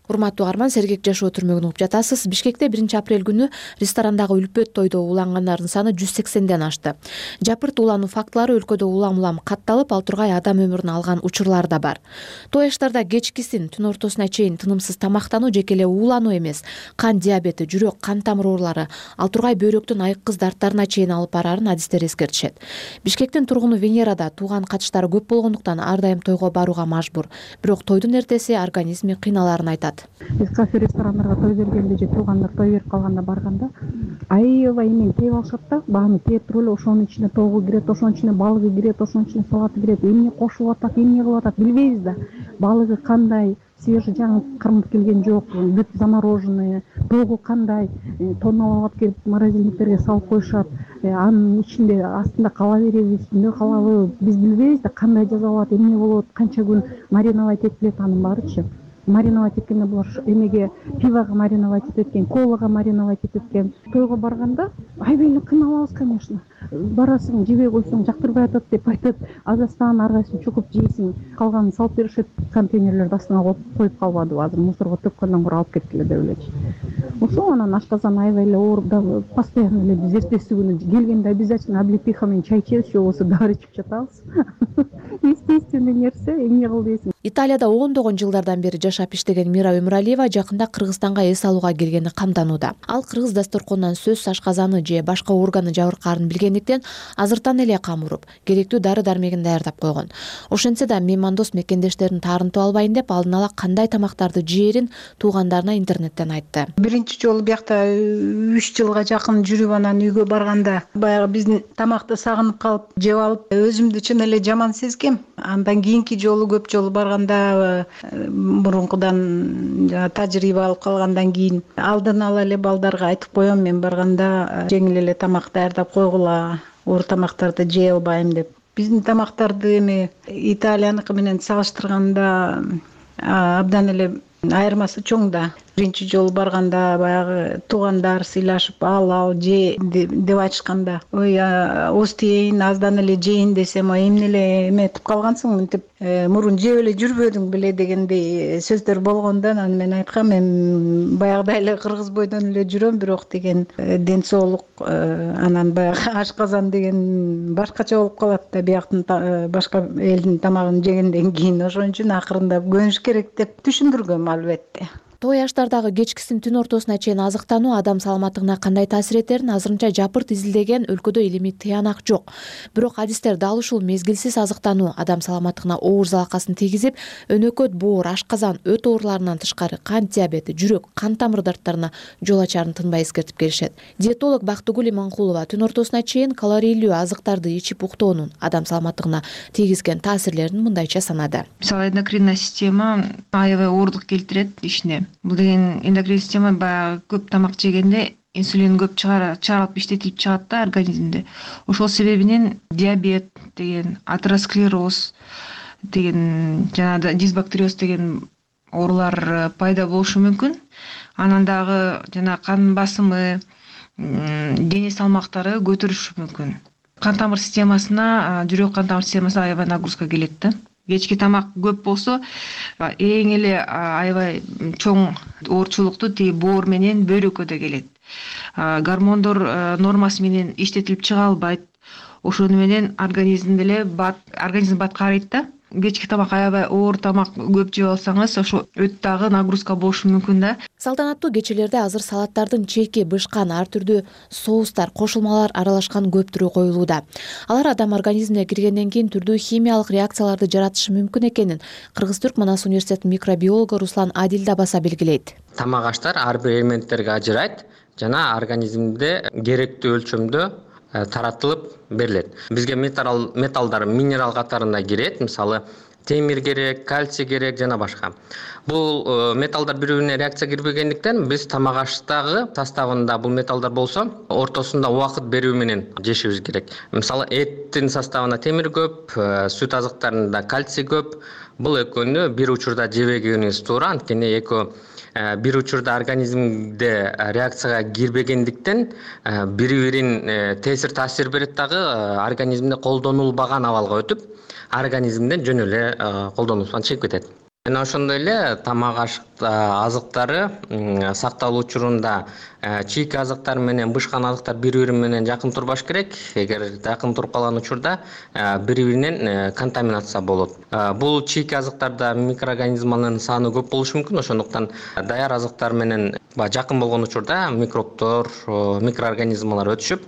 S3: Урматтуу угарман, Сергек жашоо түрмөгүн угуп жатасыз. Бишкекте биринчи апрель күнү ресторандагы үлпөт тойдо уулангандардын саны жүз сексенден ашты. Жапырт уулануу фактылары өлкөдө улам-улам катталып, ал тургай адам өмүрүн алган учурлар да бар. Той аштарда кечкисин түн ортосуна чейин тынымсыз тамактануу жеке эле уулануу эмес, кан диабети, жүрөк, кан тамыр оорулары, ал тургай бөйрөктүн айыккыз дарттарына чейин алып барарын адистер эскертишет. Бишкектин тургуну Венерада тууган катыштары көп болгондуктан ар дайым тойго барууга мажбур. Бирок тойдун эртеси организми кыйналаарын айтат.
S5: Биз кафе ресторандарга той бергенде же туугандар той берип калганда барганда аябай эмен тээп алышат да, бааны тээп туруп эле ошонун ичине тоогу кирет, ошонун ичине балыгы кирет, ошонун ичине салаты кирет, эмне кошулуп атат, эмне кылып атат билбейбиз да. Балыгы кандай, свежий жаңы кырмып келген жок, бүт замороженный, тоогу кандай, тонналап алып келип морозильниктерге салып коюшат, анын ичинде астында кала береби, үстүндө калабы, биз билбейбиз да кандай жазалат, эмне болот, канча күн мариновать этилет анын баарычы. Мариновать эткенде булар эмеге пивого мариновать этет экен, колага мариновать этет экен. Тойго барганда аябай эле кыйналабыз, конечно. Барасың, жебей койсоң жактырбай атат деп айтат. Азастан ар кайсын чукуп жейсиң, калганын салып беришет, контейнерлерди астына коюп калбадыбы, азыр мусорго төккөндөн көрө алып кеткиле деп элечи. Ошо анан ашказан аябай эле ооруп, дагы постоянно эле биз эртеси күнү келгенде обязательно облепиха менен чай ичебиз, же болбосо дары ичип жатабыз. Естественный нерсе, эмне кыл дейсиң.
S3: Италияда ондогон жылдардан бери жашап иштеген Мира Өмүралиева жакында Кыргызстанга эс алууга келгени камданууда. Ал кыргыз дасторконунан сөз ашказаны же башка органы жабыркаарын билгендиктен азыртан эле кам уруп, керектүү дары дармегин даярдап койгон. Ошентсе да меймандос мекендештерин таарынтып албайын деп алдын ала кандай тамактарды жээрин туугандарына интернеттен айтты.
S23: Биринчи жолу биякта үч жылга жакын жүрүп анан үйгө барганда баягы биздин тамакты сагынып калып жеп алып, өзүмдү чын эле жаман сезгем. Андан кийинки жолу көп жолу барганда мурункудан тажрыйба алып калгандан кийин алдын ала эле балдарга айтып коем, мен барганда жеңил эле тамак даярдап койгула, оор тамактарды жей албайм деп. Биздин тамактарды эми Италияныкы менен салыштырганда абдан эле айырмасы чоң да. Биринчи жолу барганда баягы туугандар сыйлашып ал ал же деп айтышканда, ой оз тиейин, аздан эле жейин десем, эмне эле эметип калгансың, мынтип мурун жеп эле жүрбөдүң беле дегендей сөздөр болгондо, анан мен айткам, мен баягыдай эле кыргыз бойдон эле жүрөм, бирок деген ден соолук, анан баягы ашказан деген башкача болуп калат да, бияктын башка элдин тамагын жегенден кийин. Ошон үчүн акырындап көнүш керек деп түшүндүргөм албетте.
S3: Той аштардагы кечкисин түн ортосуна чейин азыктануу адам саламаттыгына кандай таасир этерин азырынча жапырт изилдеген өлкөдө илимий тыянак жок. Бирок адистер дал ушул мезгилсиз азыктануу адам саламаттыгына оор залакасын тийгизип, өнөкөт, боор, ашказан, өт ооруларынан тышкары кант диабети, жүрөк, кан тамыр дарттарына жол ачарын тынбай эскертип келишет. Диетолог Бактыгүл Иманкулова түн ортосуна чейин калорийлүү азыктарды ичип уктоонун адам саламаттыгына тийгизген таасирлерин мындайча санады.
S4: Мисалы, эндокринная система аябай оорлук келтирет ишине. Бул деген эндокрин система баягы көп тамак жегенде инсулин көп чыгарылып иштетилип чыгат да организмде. Ошол себебинен диабет деген, атеросклероз деген, жана дисбактериоз деген оорулар пайда болушу мүмкүн. Анан дагы жана кан басымы, дене салмактары көтөрүлүшү мүмкүн. Кан тамыр системасына, жүрөк кан тамыр системасына аябай нагрузка келет да. Кечки тамак көп болсо, эң эле аябай чоң оорчулукту тиги боор менен бөйрөккө келет. Гормондор нормасы менен иштетилип чыга албайт. Ошону менен организм деле бат, организм бат карыйт да. Кечки тамак аябай оор тамак көп жеп алсаңыз, ошо өт дагы нагрузка болушу мүмкүн да.
S3: Салтанаттуу кечелерде азыр салаттардын чеки, бышкан, ар түрдүү соустар, кошулмалар аралашкан көп түрү коюлууда. Алар адам организмине киргенден кийин түрдүү химиялык реакцияларды жаратышы мүмкүн экенин Кыргыз Түрк Манас университетинин микробиологу Руслан Адил да баса белгилейт.
S6: Тамак аштар ар бир элементтерге ажырайт жана организмде керектүү өлчөмдө таратылып берилет. Бизге металл металлдар минерал катарына кирет, мисалы темир керек, кальций керек жана башка. Бул металлдар бири-бирине реакция кирбегендиктен биз тамак аштагы составында бул металлдар болсо, ортосунда убакыт берүү менен жешибиз керек. Мисалы эттин составында темир көп, сүт азыктарында кальций көп. Бул экөөнү бир учурда жебегенибиз туура, анткени экөө бир учурда организмде реакцияга кирбегендиктен бири-бирин тесир таасир берет дагы организмде колдонулбаган абалга өтүп, организмден жөн эле колдонуусунан чыгып кетет. Жана ошондой эле тамак азыктары сакталуу учурунда чийки азыктар менен бышкан азыктар бири-бири менен жакын турбаш керек. Эгер жакын туруп калган учурда бири-биринен контаминация болот. Бул чийки азыктарда микроорганизмалардын саны көп болушу мүмкүн, ошондуктан даяр азыктар менен жакын болгон учурда микробтор, микроорганизмалар өтүшүп,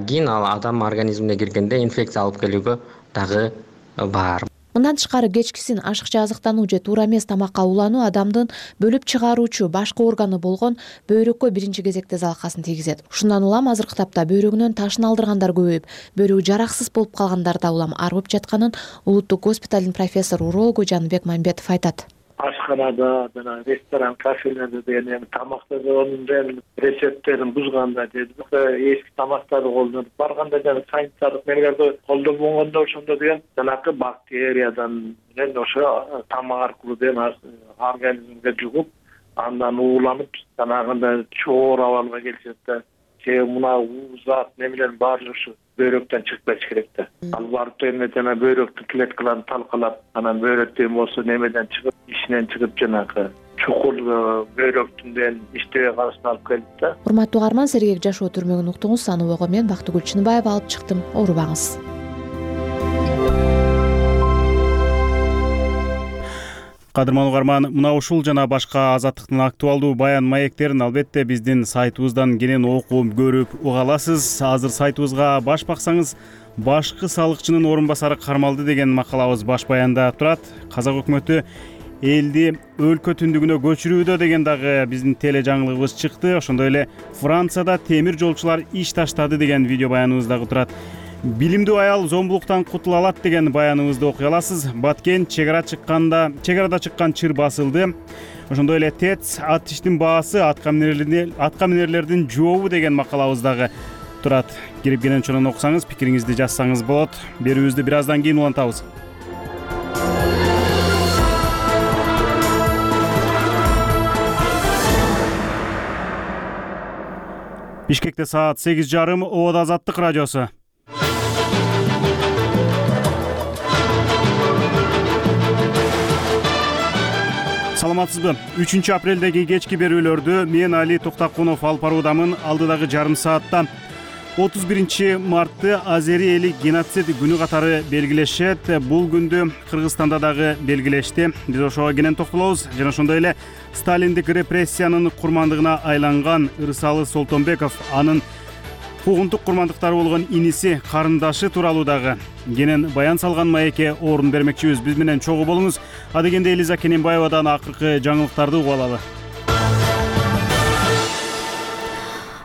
S6: кийин ал адам организмине киргенде инфекция алып келүүгө дагы бар.
S3: Мындан тышкары кечкисин ашыкча азыктануу же туура эмес тамакка улануу адамдын бөлүп чыгаруучу башкы органы болгон бөйрөккө биринчи кезекте залакасын тийгизет. Ушундан улам азыркы тапта бөйрөгүнөн ташын алдыргандар көбөйүп, бөйрөгү жараксыз болуп калгандар да улам арып жатканын улуттук госпиталдын профессор урологу Жаныбек Мамбетов айтат.
S20: Ашканада жана ресторан, кафелерде деген эми тамактануунун рецепттерин бузганда же эски тамактарды колдонуп барганда жана санитардык нелерди колдонбогондо ошондо деген жанакы бактериядан менен ошо тамак аркылуу деген организмге жугуп, андан ууланып, жанагындай чоор абалга келишет да. Же мына зат немелердин баары ушу бөйрөктөн чыгып кетиш керек да. Ал барып эми жана бөйрөктүн клеткаларын талкалап, анан бөйрөктөн болсо немеден чыгып, ишинен чыгып жанагы чукул бөйрөктүндөн иштебей калышына алып келет да.
S3: Урматтуу угарман, сергек жашоо түрмөгүн уктуңуз. Саныбого мен Бактыгүл Чыныбаева алып чыктым. Оорубаңыз.
S1: Кадырман угарман, мына ушул жана башка азаттыктын актуалдуу баян маектерин албетте биздин сайтыбыздан кенен окуп, көрүп уга аласыз. Азыр сайтыбызга баш баксаңыз, башкы салыкчынын орун басары кармалды деген макалабыз баш баянда турат. Казак өкмөтү элди өлкө түндүгүнө көчүрүүдө деген дагы биздин теле жаңылыгыбыз чыкты. Ошондой эле Францияда темир жолчулар иш таштады деген видео баяныбыз дагы турат. Билимдүү аял зомбулуктан кутула алат деген баяныбызды окуй аласыз. Баткен чегара чыкканда, чегарада чыккан чыр басылды. Ошондой эле ТЭЦ ат иштин баасы атка минерлердин жообу деген макалабыз дагы турат. Кирип кенен чонун окусаңыз, пикириңизди жазсаңыз болот. Берүүбүздү бир аздан кийин улантабыз. Бишкекте саат сегиз жарым, Ободо Азаттык радиосу. Саламатсызбы? үчүнчү апрелдеги кечки берүүлөрдү мен Али Токтакунов алып баруудамын. Алдыдагы жарым саатта отуз биринчи мартты Азери эли геноцид күнү катары белгилешет. Бул күндү Кыргызстанда дагы белгилешти. Биз ошого кенен токтолобуз. Жана ошондой эле сталиндик репрессиянын курмандыгына айланган Ырсалы Солтонбеков, анын куугунтук курмандыктары болгон иниси, карындашы тууралуу дагы кенен баян салган маекке орун бермекчибиз. Биз менен чогуу болуңуз. Адегенде Элиза Кененбаевадан акыркы жаңылыктарды угуп алалы.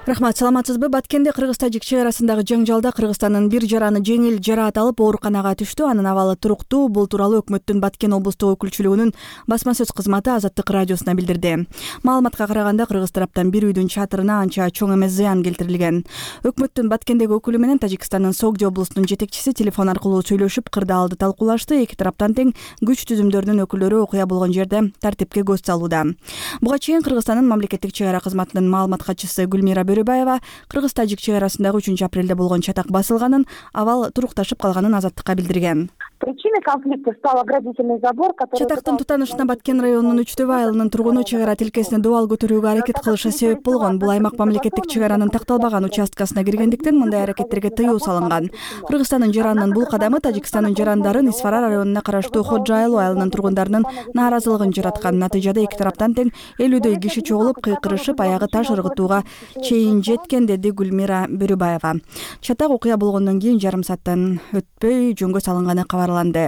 S8: Рахмат, саламатсызбы? Баткенде Кыргыз-Тажик чек арасындагы жаңжалда Кыргызстандын бир жараны жеңил жараат алып ооруканага түштү. Анын абалы туруктуу. Бул тууралуу өкмөттүн Баткен облустук өкүлчүлүгүнүн басма сөз кызматы Азаттык радиосуна билдирди. Маалыматка караганда Кыргыз тараптан бир үйдүн чатырына анча чоң эмес зыян келтирилген. Өкмөттүн Баткендеги өкүлү менен Тажикстандын Согди облусунун жетекчиси телефон аркылуу сүйлөшүп, кырдаалды талкуулашты. Эки тараптан тең күч түзүмдөрүнүн өкүлдөрү окуя болгон жерде тартипке көз салууда. Буга чейин Кыргызстандын мамлекеттик чек ара кызматынын маалымат катчысы Гүлмира Бөрөбаева Кыргыз-Тажик чек арасындагы үчүнчү апрелде болгон чатак басылганын, абал турукташып калганын Азаттыкка билдирген.
S9: Причиной конфликта стал оградительный забор, который...
S8: Чатактын тутанышына Баткен районунун Үчтөбө айылынын тургуну чек ара тилкесине дубал көтөрүүгө аракет кылышы себеп болгон. Бул аймак мамлекеттик чек аранын такталбаган участкасына киргендиктен мындай аракеттерге тыюу салынган. Кыргызстандын жаранынын бул кадамы Тажикстандын жарандарын Исфара районуна караштуу Ходжа айылы айылынын тургундарынын нааразылыгын жараткан. Натыйжада эки тараптан тең элүүдөй киши чогулуп, кыйкырышып, аягы таш ыргытууга чейин жеткен, деди Гүлмира Бөрөбаева. Чатак окуя болгондон кийин жарым сааттан өтпөй жөнгө салынганы кабарланды.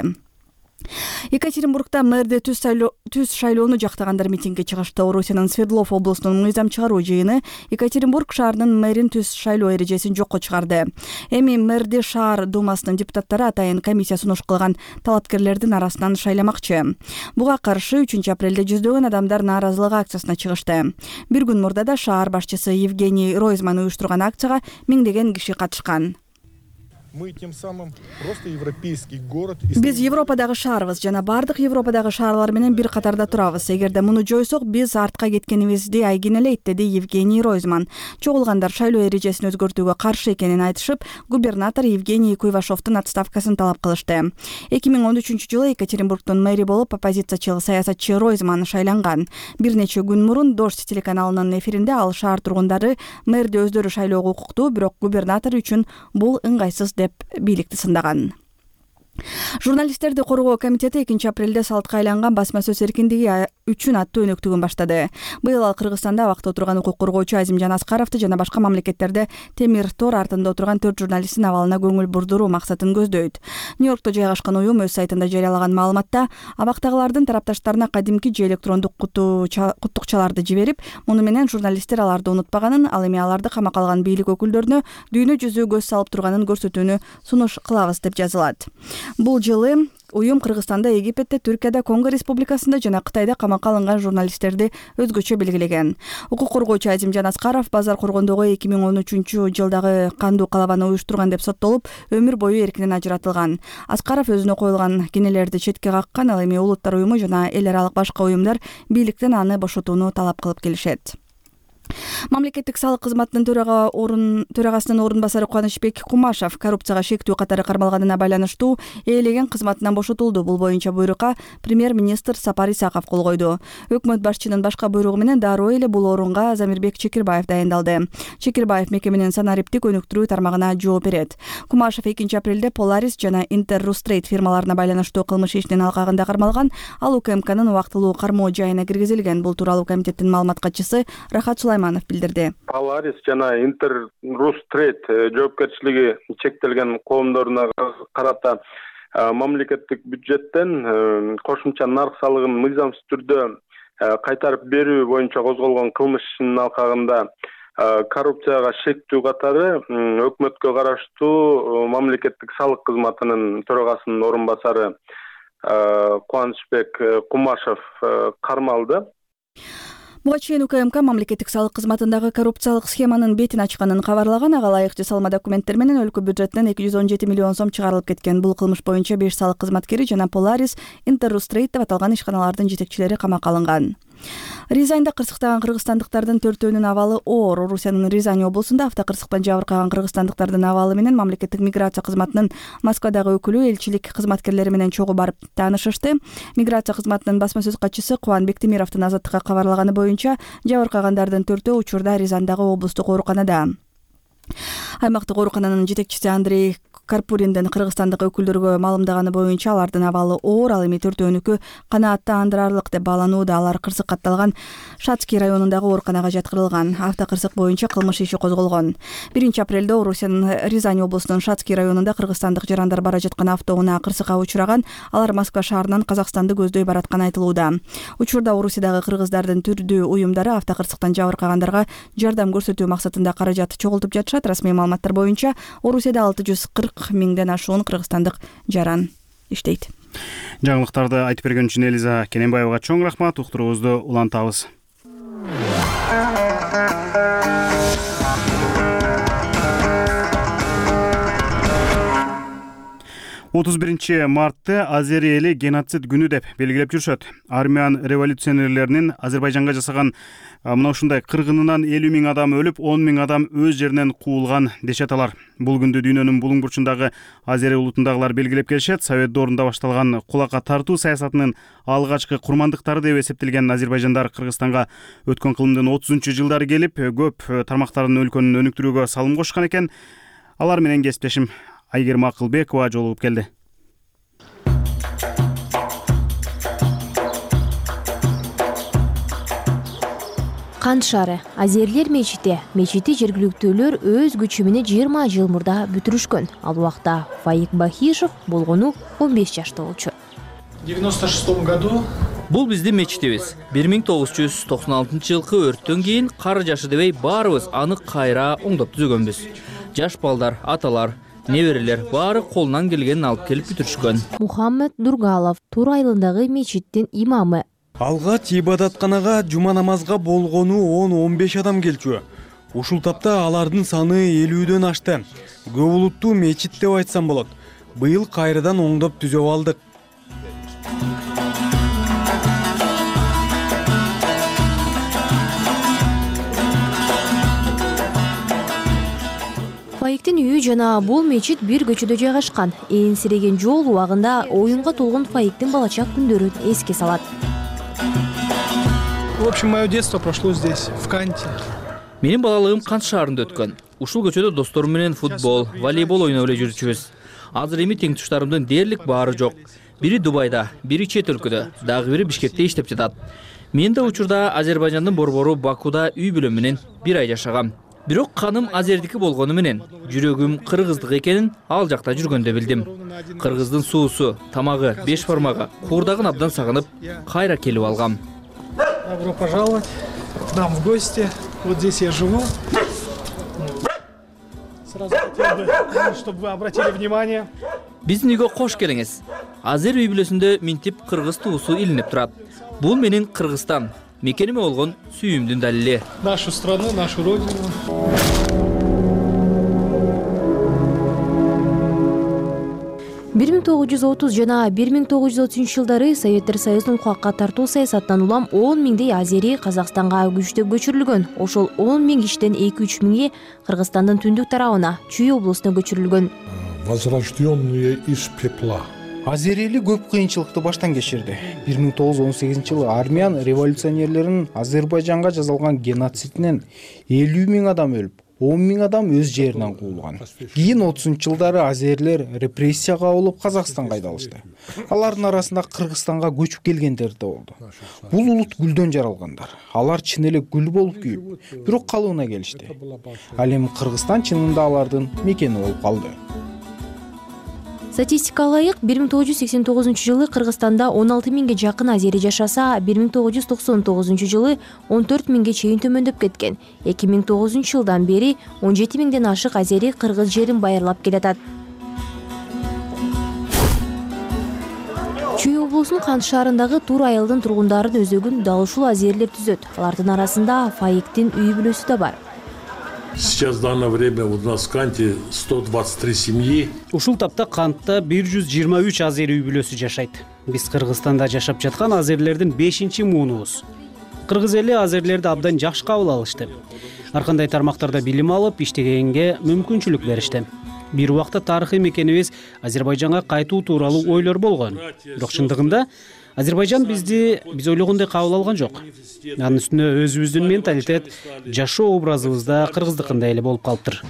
S8: Екатеринбургда мэрди түз шайлоону жактагандар митингге чыгышты. Орусиянын Свердлов облусунун мыйзам чыгаруу жыйыны Екатеринбург шаарынын мэрин түз шайлоо эрежесин жокко чыгарды. Эми мэрди шаар думасынын депутаттары атайын комиссия сунуш кылган талапкерлердин арасынан шайламакчы. Буга каршы үчүнчү апрелде жүздөгөн адамдар нааразылык акциясына чыгышты. Бир күн мурда да шаар башчысы Евгений Ройзман уюштурган акцияга миңдеген киши катышкан.
S10: Мы тем самым просто европейский город.
S8: Биз Европадагы шаарбыз жана бардык Европадагы шаарлар менен бир катарда турабыз. Эгерде муну жойсок, биз артка кеткенибизди айгинелейт, деди Евгений Ройзман. Чогулгандар шайлоо эрежесин өзгөртүүгө каршы экенин айтышып, губернатор Евгений Куйвашовдун отставкасын талап кылышты. эки миң он үчүнчү жылы Екатеринбургдун мэри болуп оппозициячыл саясатчы Ройзман шайланган. Бир нече күн мурун Дождь телеканалынын эфиринде ал шаар тургундары мэрди өздөрү шайлоого укуктуу, бирок губернатор үчүн бул ыңгайсыз деп бийликти сындаган. Журналисттерди коргоо комитети экинчи апрелде салтка айланган басма сөз эркиндиги үчүн аттуу өнөктүгүн баштады. Быйыл ал Кыргызстанда абакта отурган укук коргоочу Азимжан Аскаровду жана башка мамлекеттерде темир тор артында отурган төрт журналисттин абалына көңүл бурдуруу максатын көздөйт. Нью-Йоркто жайгашкан уюм өз сайтында жарыялаган маалыматта абактагылардын тарапташтарына кадимки же электрондук куттукчаларды жиберип, муну менен журналисттер аларды унутпаганын, ал эми аларды камакка алган бийлик өкүлдөрүнө дүйнө жүзү көз салып турганын көрсөтүүнү сунуш кылабыз деп жазылат. Бул жылы уюм Кыргызстанда, Египетте, Түркияда, Конго республикасында жана Кытайда камакка алынган журналисттерди өзгөчө белгилеген. Укук коргоочу Азимжан Аскаров базар коргондогу эки миң он үчүнчү жылдагы кандуу калабаны уюштурган деп соттолуп, өмүр бою эркинен ажыратылган. Аскаров өзүнө коюлган кенелерди четке каккан, ал эми Улуттар уюму жана эл аралык башка уюмдар бийликтен аны бошотууну талап кылып келишет. Мамлекеттик салык кызматынын төрага орун төрагасынын орун басары Кубанычбек Кумашев коррупцияга шектүү катары кармалганына байланыштуу ээлеген кызматынан бошотулду. Бул боюнча буйрукка премьер-министр Сапар Исаков кол койду. Өкмөт башчынын башка буйругу менен дароо эле бул орунга Замирбек Чекирбаев дайындалды. Чекирбаев мекеменин санариптик өнүктүрүү тармагына жооп берет. Кумашев экинчи апрелде Polaris жана Interrustrate фирмаларына байланыштуу кылмыш ишинин алкагында кармалган. Ал УКМКнын убактылуу кармоо жайына киргизилген. Бул тууралуу комитеттин маалымат катчысы Рахат Сулайманов билдирди.
S10: Polaris жана Interrustrate жоопкерчилиги чектелген коомдоруна карата мамлекеттик бюджеттен кошумча нарк салыгын мыйзамсыз түрдө кайтарып берүү боюнча козголгон кылмыш ишинин алкагында коррупцияга шектүү катары өкмөткө караштуу мамлекеттик салык кызматынын төрагасынын орун басары Кубанычбек Кумашев кармалды.
S8: Буга чейин УКМК мамлекеттик салык кызматындагы коррупциялык схеманын бетин ачканын кабарлаган. Ага ылайык жасалма документтер менен өлкө бюджетинен эки жүз он жети миллион сом чыгарылып кеткен. Бул кылмыш боюнча беш салык кызматкери жана Polaris, Interrustrade деп аталган ишканалардын жетекчилери камакка алынган. Рязаньда кырсыктаган кыргызстандыктардын төртөөнүн абалы оор. Орусиянын Рязань облусунда автокырсыктан жабыркаган кыргызстандыктардын абалы менен мамлекеттик миграция кызматынын Москвадагы өкүлү элчилик кызматкерлери менен чогуу барып таанышышты. Миграция кызматынын басма сөз катчысы Кубан Бектемировдун Азаттыкка кабарлаганы боюнча жабыркагандардын төртөө учурда Рязандагы облустук ооруканада. Аймактык оорукананын жетекчиси Андрей Карпуриндин кыргызстандык өкүлдөргө маалымдаганы боюнча алардын абалы оор, ал эми төртөөнүкү канааттандырарлык деп бааланууда. Алар кырсык катталган Шацкий районундагы ооруканага жаткырылган. Автокырсык боюнча кылмыш иши козголгон. биринчи апрелде Орусиянын Рязань облусунун Шацкий районунда кыргызстандык жарандар бара жаткан автоунаа кырсыкка учураган. Алар Москва шаарынан Казакстанды көздөй баратканы айтылууда. Учурда Орусиядагы кыргыздардын түрдүү уюмдары автокырсыктан жабыркагандарга жардам көрсөтүү максатында каражат чогултуп жатышат. Расмий маалыматтар боюнча Орусияда алты жүз кырк миңден ашуун кыргызстандык жаран иштейт.
S1: Жаңылыктарды айтып берген үчүн Элиза Кененбаевага чоң рахмат. Уктуруубузду улантабыз. отуз биринчи мартты Азери эли геноцид күнү деп белгилеп жүрүшөт. Армян революционерлеринин Азербайжанга жасаган мына ушундай кыргынынан элүү миң адам өлүп, он миң адам өз жеринен куулган дешет алар. Бул күндү дүйнөнүн булуң бурчундагы Азери улутундагылар белгилеп келишет. Совет доорунда башталган кулакка тартуу саясатынын алгачкы курмандыктары деп эсептелген азербайжандар Кыргызстанга өткөн кылымдын отузунчу жылдары келип, көп тармактарын өлкөнүн өнүктүрүүгө салым кошкон экен. Алар менен кесиптешим Айгерим Акылбекова жолугуп келди.
S2: Кант шаары, Азерлер мечити. Мечити жергиликтүүлөр өз күчү менен жыйырма жыл мурда бүтүрүшкөн. Ал убакта Фаик Бахишев болгону он беш жашта болчу.
S7: В девяносто шестом году
S22: Бул биздин мечитибиз. бир миң тогуз жүз токсон алтынчы жылкы өрттөн кийин кары жашы дебей баарыбыз аны кайра оңдоп түзөгөнбүз. Жаш балдар, аталар, неберелер баары колунан келгенин алып келип бүтүрүшкөн.
S2: Мухаммед Дургалов Тур айылындагы мечиттин имамы.
S14: Алгач ибадатканага жума намазга болгону он он беш адам келчү. Ушул тапта алардын саны элүүдөн ашты. Көп улуттуу мечит деп айтсам болот. Быйыл кайрадан оңдоп түзөп алдык.
S2: Фаиктин үйү жана бул мечит бир көчөдө жайгашкан. Ээнсиреген жол убагында оюнга толгон Фаиктин балачак күндөрүн эске салат.
S7: В общем, мое детство прошло здесь, в Канте.
S22: Менин балалыгым Кант шаарында өткөн. Ушул көчөдө досторум менен футбол, волейбол ойноп эле жүрчүбүз. Азыр эми тең туштарымдын дээрлик баары жок. Бири Дубайда, бири чет өлкөдө, дагы бири Бишкекте иштеп жатат. Мен да учурда Азербайжандын борбору Бакуда үй бүлөм менен бир ай жашагам. Бирок каным азердики болгону менен жүрөгүм кыргыздык экенин ал жакта жүргөндө билдим. Кыргыздын суусу, тамагы, беш бармагы, куурдагын абдан сагынып, кайра келип алгам.
S7: Добро пожаловать к нам в гости. Вот здесь я живу. Сразу хотел бы, чтобы вы обратили внимание.
S22: Биздин үйгө кош келиңиз. Азер үй бүлөсүндө минтип кыргыз туусу илинип турат. Бул менин Кыргызстан, мекениме болгон сүйүүмдүн далили.
S7: Нашу страну, нашу родину.
S2: бир миң тогуз жүз отуз жана бир миң тогуз жүз отузунчу жылдары Советтер Союзунун кулакка тартуу саясатынан улам он миңдей азери Казакстанга күчтөп көчүрүлгөн. Ошол он миң кишиден эки үч миңи Кыргызстандын түндүк тарабына, Чүй облусуна көчүрүлгөн.
S10: Возрожденные из пепла.
S21: Азерели көп кыйынчылыкты баштан кечирди. бир миң тогуз жүз он сегизинчи жылы армян революционерлеринин Азербайжанга жасалган геноцидинен элүү миң адам өлүп, он миң адам өз жеринен куулган. Кийин отузунчу жылдары азерлер репрессияга алып Казакстанга айдалышты. Алардын арасында Кыргызстанга көчүп келгендер да болду. Бул улут гүлдөн жаралгандар. Алар чын эле гүл болуп күйүп, бирок калыбына келишти. Ал эми Кыргызстан чынында алардын мекени болуп калды.
S2: Статистикага ылайык бир миң тогуз жүз сексен тогузунчу жылы Кыргызстанда он алты миңге жакын азери жашаса, бир миң тогуз жүз токсон тогузунчу жылы он төрт миңге чейин төмөндөп кеткен. эки миң тогузунчу жылдан бери он жети миңден ашык азери кыргыз жерин байырлап келатат. Чүй облусунун Кант шаарындагы Тур айылдын тургундарын өзөгүн дал ушул азерлер түзөт. Алардын арасында Фаиктин үй бүлөсү да бар.
S11: Сейчас в данное время у нас в Канте сто двадцать три семьи.
S12: Ушул тапта Кантта бир жүз жыйырма үч азер үй бүлөсү жашайт. Биз Кыргызстанда жашап жаткан азерлердин бешинчи муунубуз. Кыргыз эли азерлерди абдан жакшы кабыл алышты. Ар кандай тармактарда билим алып, иштегенге мүмкүнчүлүк беришти. Бир убакта тарыхый мекенибиз Азербайжанга кайтуу тууралуу ойлор болгон. Бирок чындыгында Азербайжан бизди биз ойлогондой кабыл алган жок. Анын үстүнө өзүбүздүн менталитет, жашоо образыбызда кыргыздыкындай эле болуп калыптыр.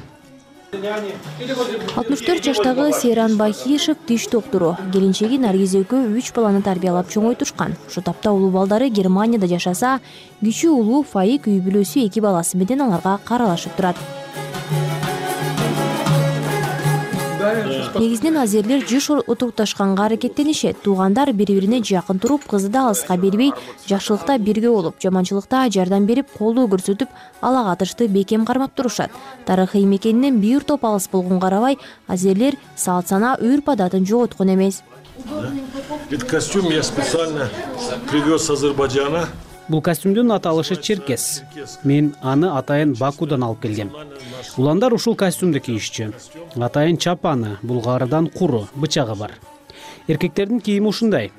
S2: алтымыш төрт жаштагы Сейран Бахишев тиш доктуру. Келинчеги Наргиз экөө үч баланы тарбиялап чоңойтушкан. Ошо тапта улуу балдары Германияда жашаса, кичүү улуу Фаик үй бүлөсү эки баласы менен аларга каралашып турат. Негизинен азерлер жыш утукташканга аракеттенишет. Туугандар бири-бирине жакын туруп, кызды да алыска бербей, жакшылыкта бирге болуп, жаманчылыкта жардам берип, колдоо көрсөтүп, ала катышты бекем кармап турушат. Тарыхый мекенинен бир топ алыс болгонго карабай, азерлер салт сана, үрп адатын жоготкон эмес.
S11: Этот костюм я специально привез с Азербайджана.
S12: Бул костюмдун аталышы черкес. Мен аны атайын Бакудан алып келгем. Уландар ушул костюмду кийишчү. Атайын чапаны, булгарыдан куру, бычагы бар. Эркектердин кийими ушундай.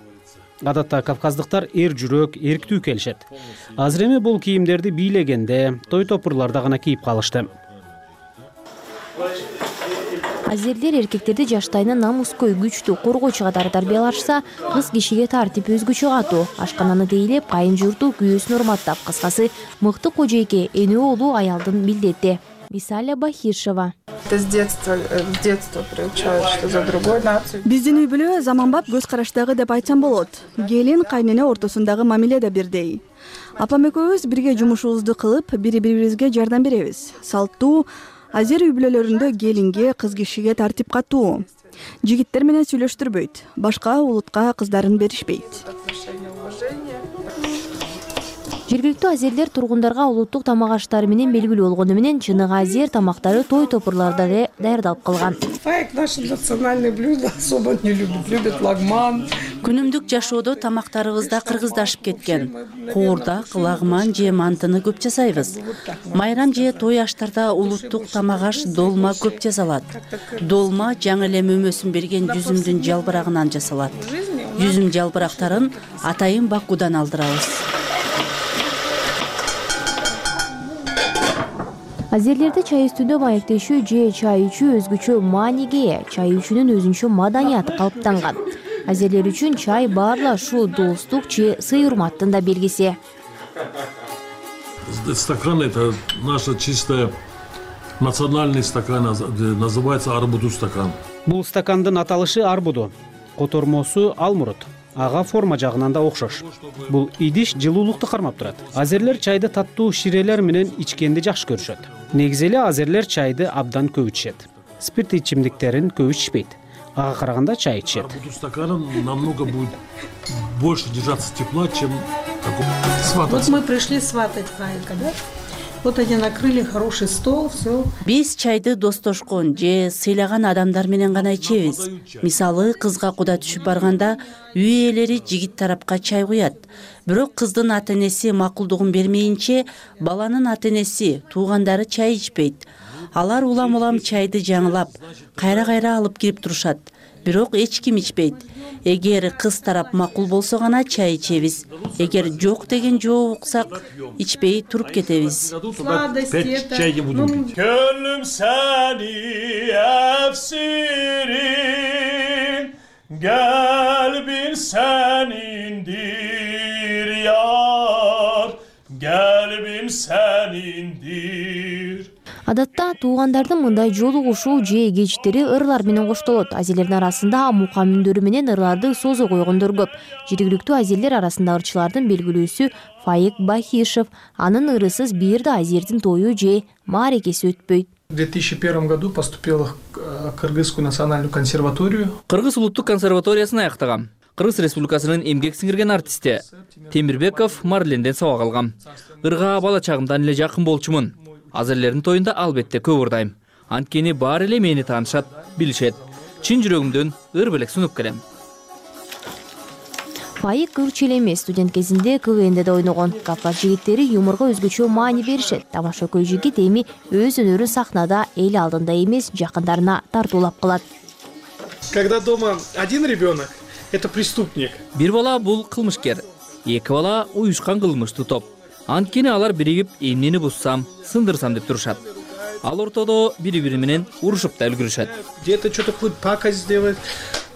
S12: Адатта кавказдыктар эр жүрөк, эрктүү келишет. Азыр эми бул кийимдерди бийлегенде, той топурларда гана кийип калышты.
S2: Азерлер эркектерди жаштайынан намыскөй, күчтүү, коргоочу катары тарбиялашса, кыз кишиге тартип өзгөчө катуу, ашкананы тейлеп, кайын журту күйөөсүн урматтап, кыскасы мыкты кожойке, эне оолу аялдын билдети. Висаля Бахишева.
S8: Биздин үй бүлө заманбап көз караштагы деп айтсам болот. Келин кайнене ортосундагы мамиле да бирдей. Апам экөөбүз бирге жумушубузду кылып, бири-бирибизге жардам беребиз. Салттуу азер үй бүлөлөрүндө келинге, кыз кишиге тартип катуу. Жигиттер менен сүйлөштүрбөйт, башка улутка кыздарын беришпейт.
S2: Жергиликтүү азерлер тургундарга улуттук тамак аштары менен белгилүү болгону менен чыныгы азер тамактары той топурларда эле даярдалып калган.
S13: Фаик наше национальное блюдо особо не любит, любит лагман.
S24: Күнүмдүк жашоодо тамактарыбызда кыргыздашып кеткен. Коордак, лагман же мантыны көп жасайбыз. Майрам же той аштарда улуттук тамак аш долма көп жасалат. Долма жаңы эле мөмөсүн берген жүзүмдүн жалбырагынан жасалат. Жүзүм жалбырактарын атайын Бакудан алдырабыз.
S2: Азерлерде чай үстүндө маектешүү же чай ичүү өзгөчө мааниге ээ. Чай ичүүнүн өзүнчө маданияты калыптанган. Азерлер үчүн чай баарла ушул достук же сый урматтын да белгиси.
S11: Стакан это наша чистая национальный стакан, называется арбуду стакан.
S12: Бул стакандын аталышы арбуду, котормосу алмурут. Ага форма жагынан да окшош. Бул идиш жылуулукту кармап турат. Азерлер чайды таттуу ширелер менен ичкенди жакшы көрүшөт. Негизи эле азерлер чайды абдан көп ичет. Спирт ичимдиктерин көп ичпейт. Ага караганда чай ичет.
S11: Арбуду стаканом намного будет больше держаться тепла, чем сватать.
S23: Вот мы пришли сватать Фаика, да? Вот они накрыли хороший стол, все.
S24: Биз чайды достошкон же сыйлаган адамдар менен гана ичебиз. Мисалы, кызга куда түшүп барганда үй ээлери жигит тарапка чай куят. Бирок кыздын ата-энеси макулдугун бермейинче, баланын ата-энеси, туугандары чай ичпейт. Алар улам-улам чайды жаңылап, кайра-кайра алып кирип турушат. Бирок эч ким ичпейт. Эгер кыз тарап макул болсо гана чай ичебиз. Эгер жок деген жооп уксак, ичпей туруп кетебиз.
S11: Gönlüm seni efsirin, kalbin senindir yar, kalbim senindir.
S2: Адатта туугандардын мындай жолугушуу же кечтери ырлар менен коштолот. Азерлердин арасында мука мүндөрү менен ырларды созо койгондор көп. Жергиликтүү азерлер арасында ырчылардын белгилүүсү Фаик Бахишев. Анын ырысыз бир да азердин тою же мааракеси өтпөйт.
S7: В две тысячи первом году поступил в Кыргызскую национальную консерваторию.
S25: Кыргыз улуттук консерваториясын аяктагам. Кыргыз Республикасынын эмгек сиңирген артисти Темирбеков Марленден сабак алгам. Ырга бала чагымдан эле жакын болчумун. Азерлердин тоюнда албетте көп ырдайм. Анткени баары эле мени таанышат, билишет. Чын жүрөгүмдөн ыр белек сунуп келем.
S2: Фаик Кырч эле эмес, студент кезинде КВНде да ойногон. Кавказ жигиттери юморго өзгөчө маани беришет. Тамашакөй жигит эми өз өнөрүн сахнада эл алдында эмес, жакындарына тартуулап кылат.
S7: Когда дома один ребенок, это преступник.
S25: Бир бала бул кылмышкер, эки бала уюшкан кылмыштуу топ. Анткени алар биригип эмнени буссам, сындырсам деп турушат. Ал ортодо бири-бири менен урушуп да үлгүрүшөт.
S7: Где-то что-то какую-то пакость сделать,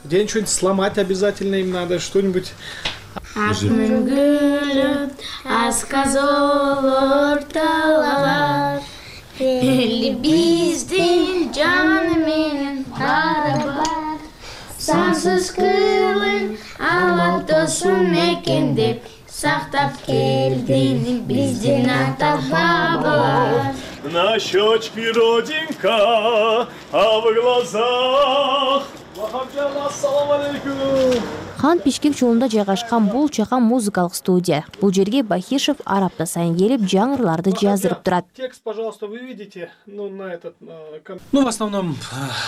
S7: где-нибудь что-нибудь сломать обязательно им надо, что-нибудь.
S15: Акмын гүлүп, асказол орталар. Эли биздин жаны менен барабар. Сансыз кылын алат досун мекендеп, сактап келдин биздин ата бабалар.
S1: На щечке родинка, а в глазах. Ассалам алейкум.
S2: Хан Бишкек жолунда жайгашкан бул чакан музыкалык студия. Бул жерге Бахишев ар апта сайын келип, жаңырларды жаздырып турат.
S7: Текст, пожалуйста, вы видите, ну на этот, ну в основном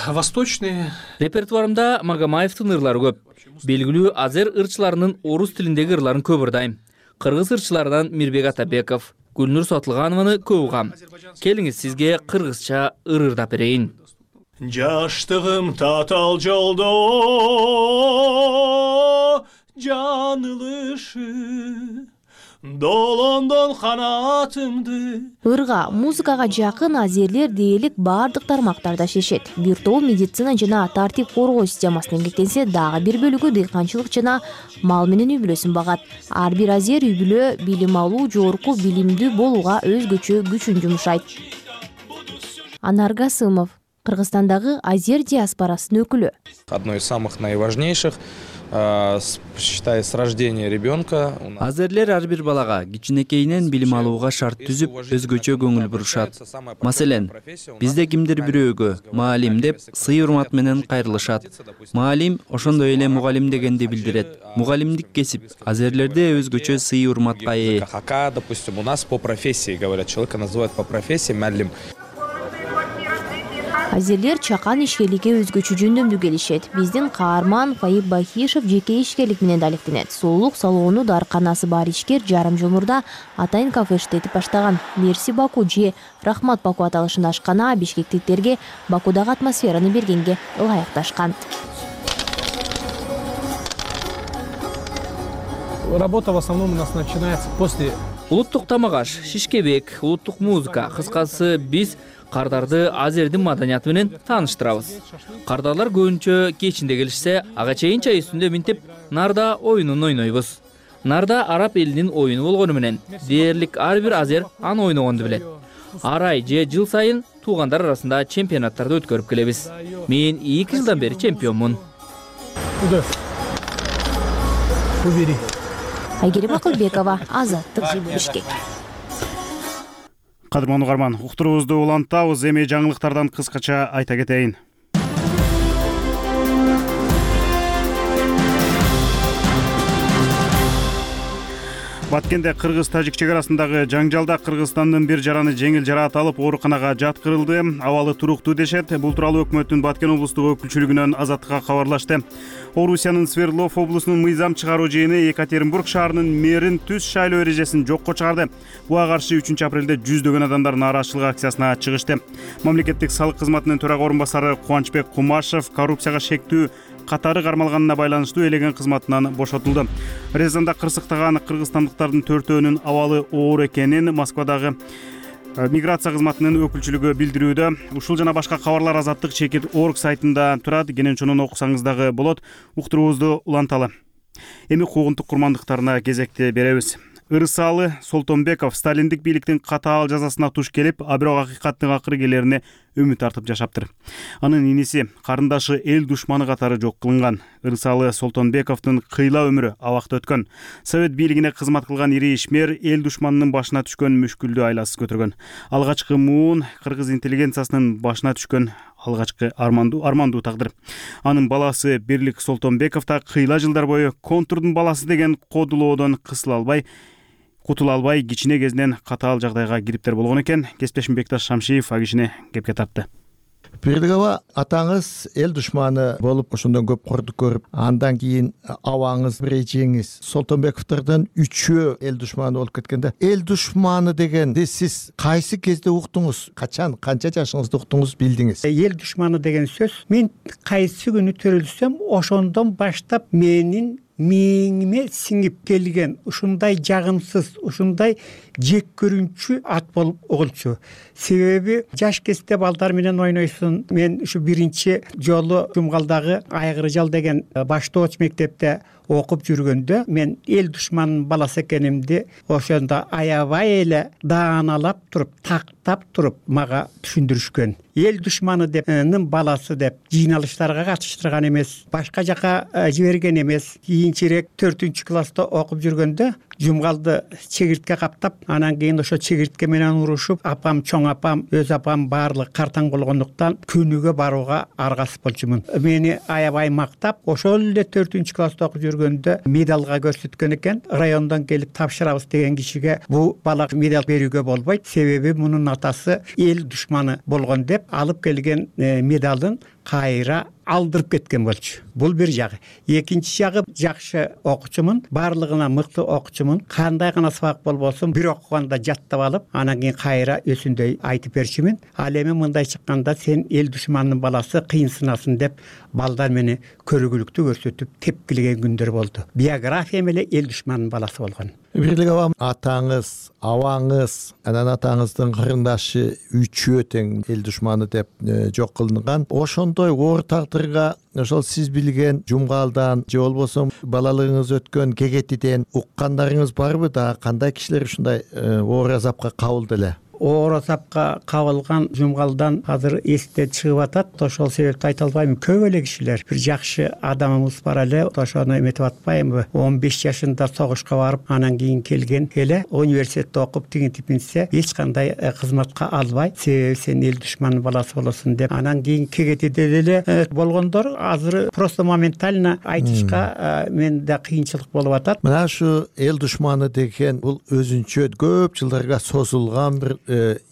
S7: восточные.
S25: Репертуарымда Магомаевдин ырлары көп. Белгилүү азер ырчыларынын орус тилиндеги ырларын көп ырдайм. Кыргыз ырчыларынан Мирбек Атабеков, Гүлнур Сотулганованы көп угам. Келиңиз сизге кыргызча ыр ырдап берейин.
S1: Жаштыгым татал жолдо жаңылышы, долондон канатымды.
S2: Ырга, музыкага жакын азерлер дээрлик бардык тармактарда шешет. Бир тобу медицина жана тартип коргоо системасына эмгектенсе, дагы бир бөлүгү дыйканчылык жана мал менен үй бүлөсүн багат. Ар бир азер үй бүлө билим алуу, жогорку билимдүү болууга өзгөчө күчүн жумшайт. Анар Гасымов, Кыргызстандагы азер диаспорасынын өкүлү.
S16: Одно из самых найважнейших, считай, с рождения ребенка.
S17: Азерлер ар бир балага кичинекейинен билим алууга шарт түзүп, өзгөчө көңүл бурушат. Маселен, бизде кимдир бирөөгө маалим деп сый урмат менен кайрылышат. Маалим ошондой эле мугалим дегенди билдирет. Мугалимдик кесип азерлерде өзгөчө сый урматка ээ.
S16: Хака, допустим, у нас по профессии говорят, человека называют по профессии муалим.
S2: Азерлер чакан ишкерликке өзгөчө жөндөмдүү келишет. Биздин каарман Фаик Бахишев жеке ишкерлик менен алектенет. Сулуулук салону дарканасы бар ишкер жарым жыл мурда Атайын кафе иштетип баштаган. Мерси Баку же Рахмат Баку аталышында ашкана бишкектиктерге Бакудагы атмосфераны бергенге ылайыкташкан.
S7: Работа в основном у нас начинается после.
S25: Улуттук тамак аш, шишкебек, улуттук музыка, кыскасы биз кардарды азердин маданияты менен тааныштырабыз. Кардарлар көбүнчө кечинде келишсе, ага чейин чай үстүндө минтип, нарда оюнун ойнойбуз. Нарда араб элинин оюну болгону менен дээрлик ар бир азер аны ойногонду билет. Ар ай же жыл сайын туугандар арасында чемпионаттарды өткөрүп келебиз. Мен эки жылдан бери чемпионмун.
S2: Айгерим Акылбекова, Азаттык, Бишкек.
S1: Кадырман угарман, уктуруубузду улантабыз, эми жаңылыктардан кыскача айта кетейин. Баткенде кыргыз-тажик чек арасындагы жаңжалда Кыргызстандын бир жараны жеңил жараат алып ооруканага жаткырылды. Абалы туруктуу дешет. Бул тууралуу өкмөттүн Баткен облустук өкүлчүлүгүнөн Азаттыкка кабарлашты. Орусиянын Свердлов облусунун мыйзам чыгаруу жыйыны Екатеринбург шаарынын мэрин түз шайлоо эрежесин жокко чыгарды. Буга каршы үчүнчү апрелде жүздөгөн адамдар нааразычылык акциясына чыгышты. Мамлекеттик салык кызматынын төрага орун басары Кубанычбек Кумашев коррупцияга шектүү катары кармалганына байланыштуу элеген кызматынан бошотулду. Резанда кырсыктаган кыргызстандыктардын төртөөнүн абалы оор экенин Москвадагы миграция кызматынын өкүлчүлүгү билдирүүдө. Ушул жана башка кабарлар Азаттык чекит точка орг сайтында турат. Кенен окусаңыз дагы болот. Уктуруубузду уланталы. Эми куугунтук курмандыктарына кезекти беребиз. Ырысалы Солтонбеков сталиндик бийликтин катаал жазасына туш келип, а бирок акыйкаттын акыры келерине үмүт артып жашаптыр. Анын иниси карындашы эл душманы катары жок кылынган. Ырысалы Солтонбековдун кыйла өмүрү абакта өткөн. Совет бийлигине кызмат кылган ири ишмер эл душманынын башына түшкөн мүшкүлдү айласыз көтөргөн. Алгачкы муун кыргыз интеллигенциясынын башына түшкөн алгачкы армандуу армандуу тагдыр. Анын баласы Бирлик Солтонбеков да кыйла жылдар бою контурдун баласы деген кодулоодон кысыла албай, кутула албай кичине кезинен катаал жагдайга кириптер болгон экен. Кесиптешим Бекташ Шамшиев ал кишини кепке тартты.
S4: Бирлик аба, атаңыз эл душманы болуп ошондон көп кордук көрүп, андан кийин абаңыз, бир эжеңиз Солтонбековдордон үчөө эл душманы болуп кеткенде, эл душманы дегенди сиз кайсы кезде уктуңуз? Качан, канча жашыңызда уктуңуз, билдиңиз?
S5: Эл душманы деген сөз мен кайсы күнү төрүлсөм, ошондон баштап менин мээңиме сиңип келген ушундай жагымсыз, ушундай жек көрүнчү ат болуп угулчу. Себеби жаш кезде балдар менен ойнойсуң. Мен ушу биринчи жолу Жумгалдагы Айгыржал деген баштооч мектепте окуп жүргөндө мен эл душманынын баласы экенимди ошондо аябай эле дааналап туруп, тактап туруп мага түшүндүрүшкөн. Эл душманы депнин баласы деп жыйналыштарга катыштырган эмес, башка жака жиберген эмес. Кийинчерээк төртүнчү класста окуп жүргөндө Жумгалды чегиртке каптап, анан кийин ошо чегиртке менен урушуп, апам, чоң апам, өз апам баардыгы картаң болгондуктан күнүгө барууга аргасыз болчумун. Мени аябай мактап, ошол эле төртүнчү класста окуп жүргөндө медалга көрсөткөн экен. Райондон келип тапшырабыз деген кишиге бул бала медаль берүүгө болбойт, себеби мунун атасы эл душманы болгон деп алып келген медалын кайра алдырып кеткен болчу. Бул бир жагы. Экинчи жагы, жакшы окуучумун, баардыгына мыкты окуучумун. Кандай гана сабак болбосун, бир окуганда жаттап алып, анан кийин кайра өсүндөй айтып берчүмүн. Ал эми мындай чыкканда сен эл душманынын баласы кыйынсынасың деп балдар мени көргүлүктүү көрсөтүп тепкилеген күндөр болду. Биографиям эле эл душманынын баласы болгон.
S4: Бирлик аба, атаңыз, абаңыз, анан атаңыздын кырындашы үчөө тең эл душманы деп жок кылынган. Ошондой оор тагдырга ошол сиз билген Жумгалдан же болбосо балалыгыңыз өткөн Кегетиден уккандарыңыз барбы? Да кандай кишилер ушундай оор азапка кабылды эле?
S5: Оор азапка кабылган Жумгалдан азыр эсте чыгып атат. Ошол себепти айта албайм. Көп эле кишилер, бир жакшы адамыбыз бар эле, ошону эметип атпаймынбы? он беш жашында согушка барып, анан кийин келген эле университетте окуп тигинтипинсе эч кандай кызматка албай, себеби сен эл душманынын баласы болосуң деп. Анан кийин Кегетиде деле болгондор азыр просто моментально айтышка менде кыйынчылык болуп атат.
S4: Мына ушу эл душманы деген бул өзүнчө көп жылдарга созулган бир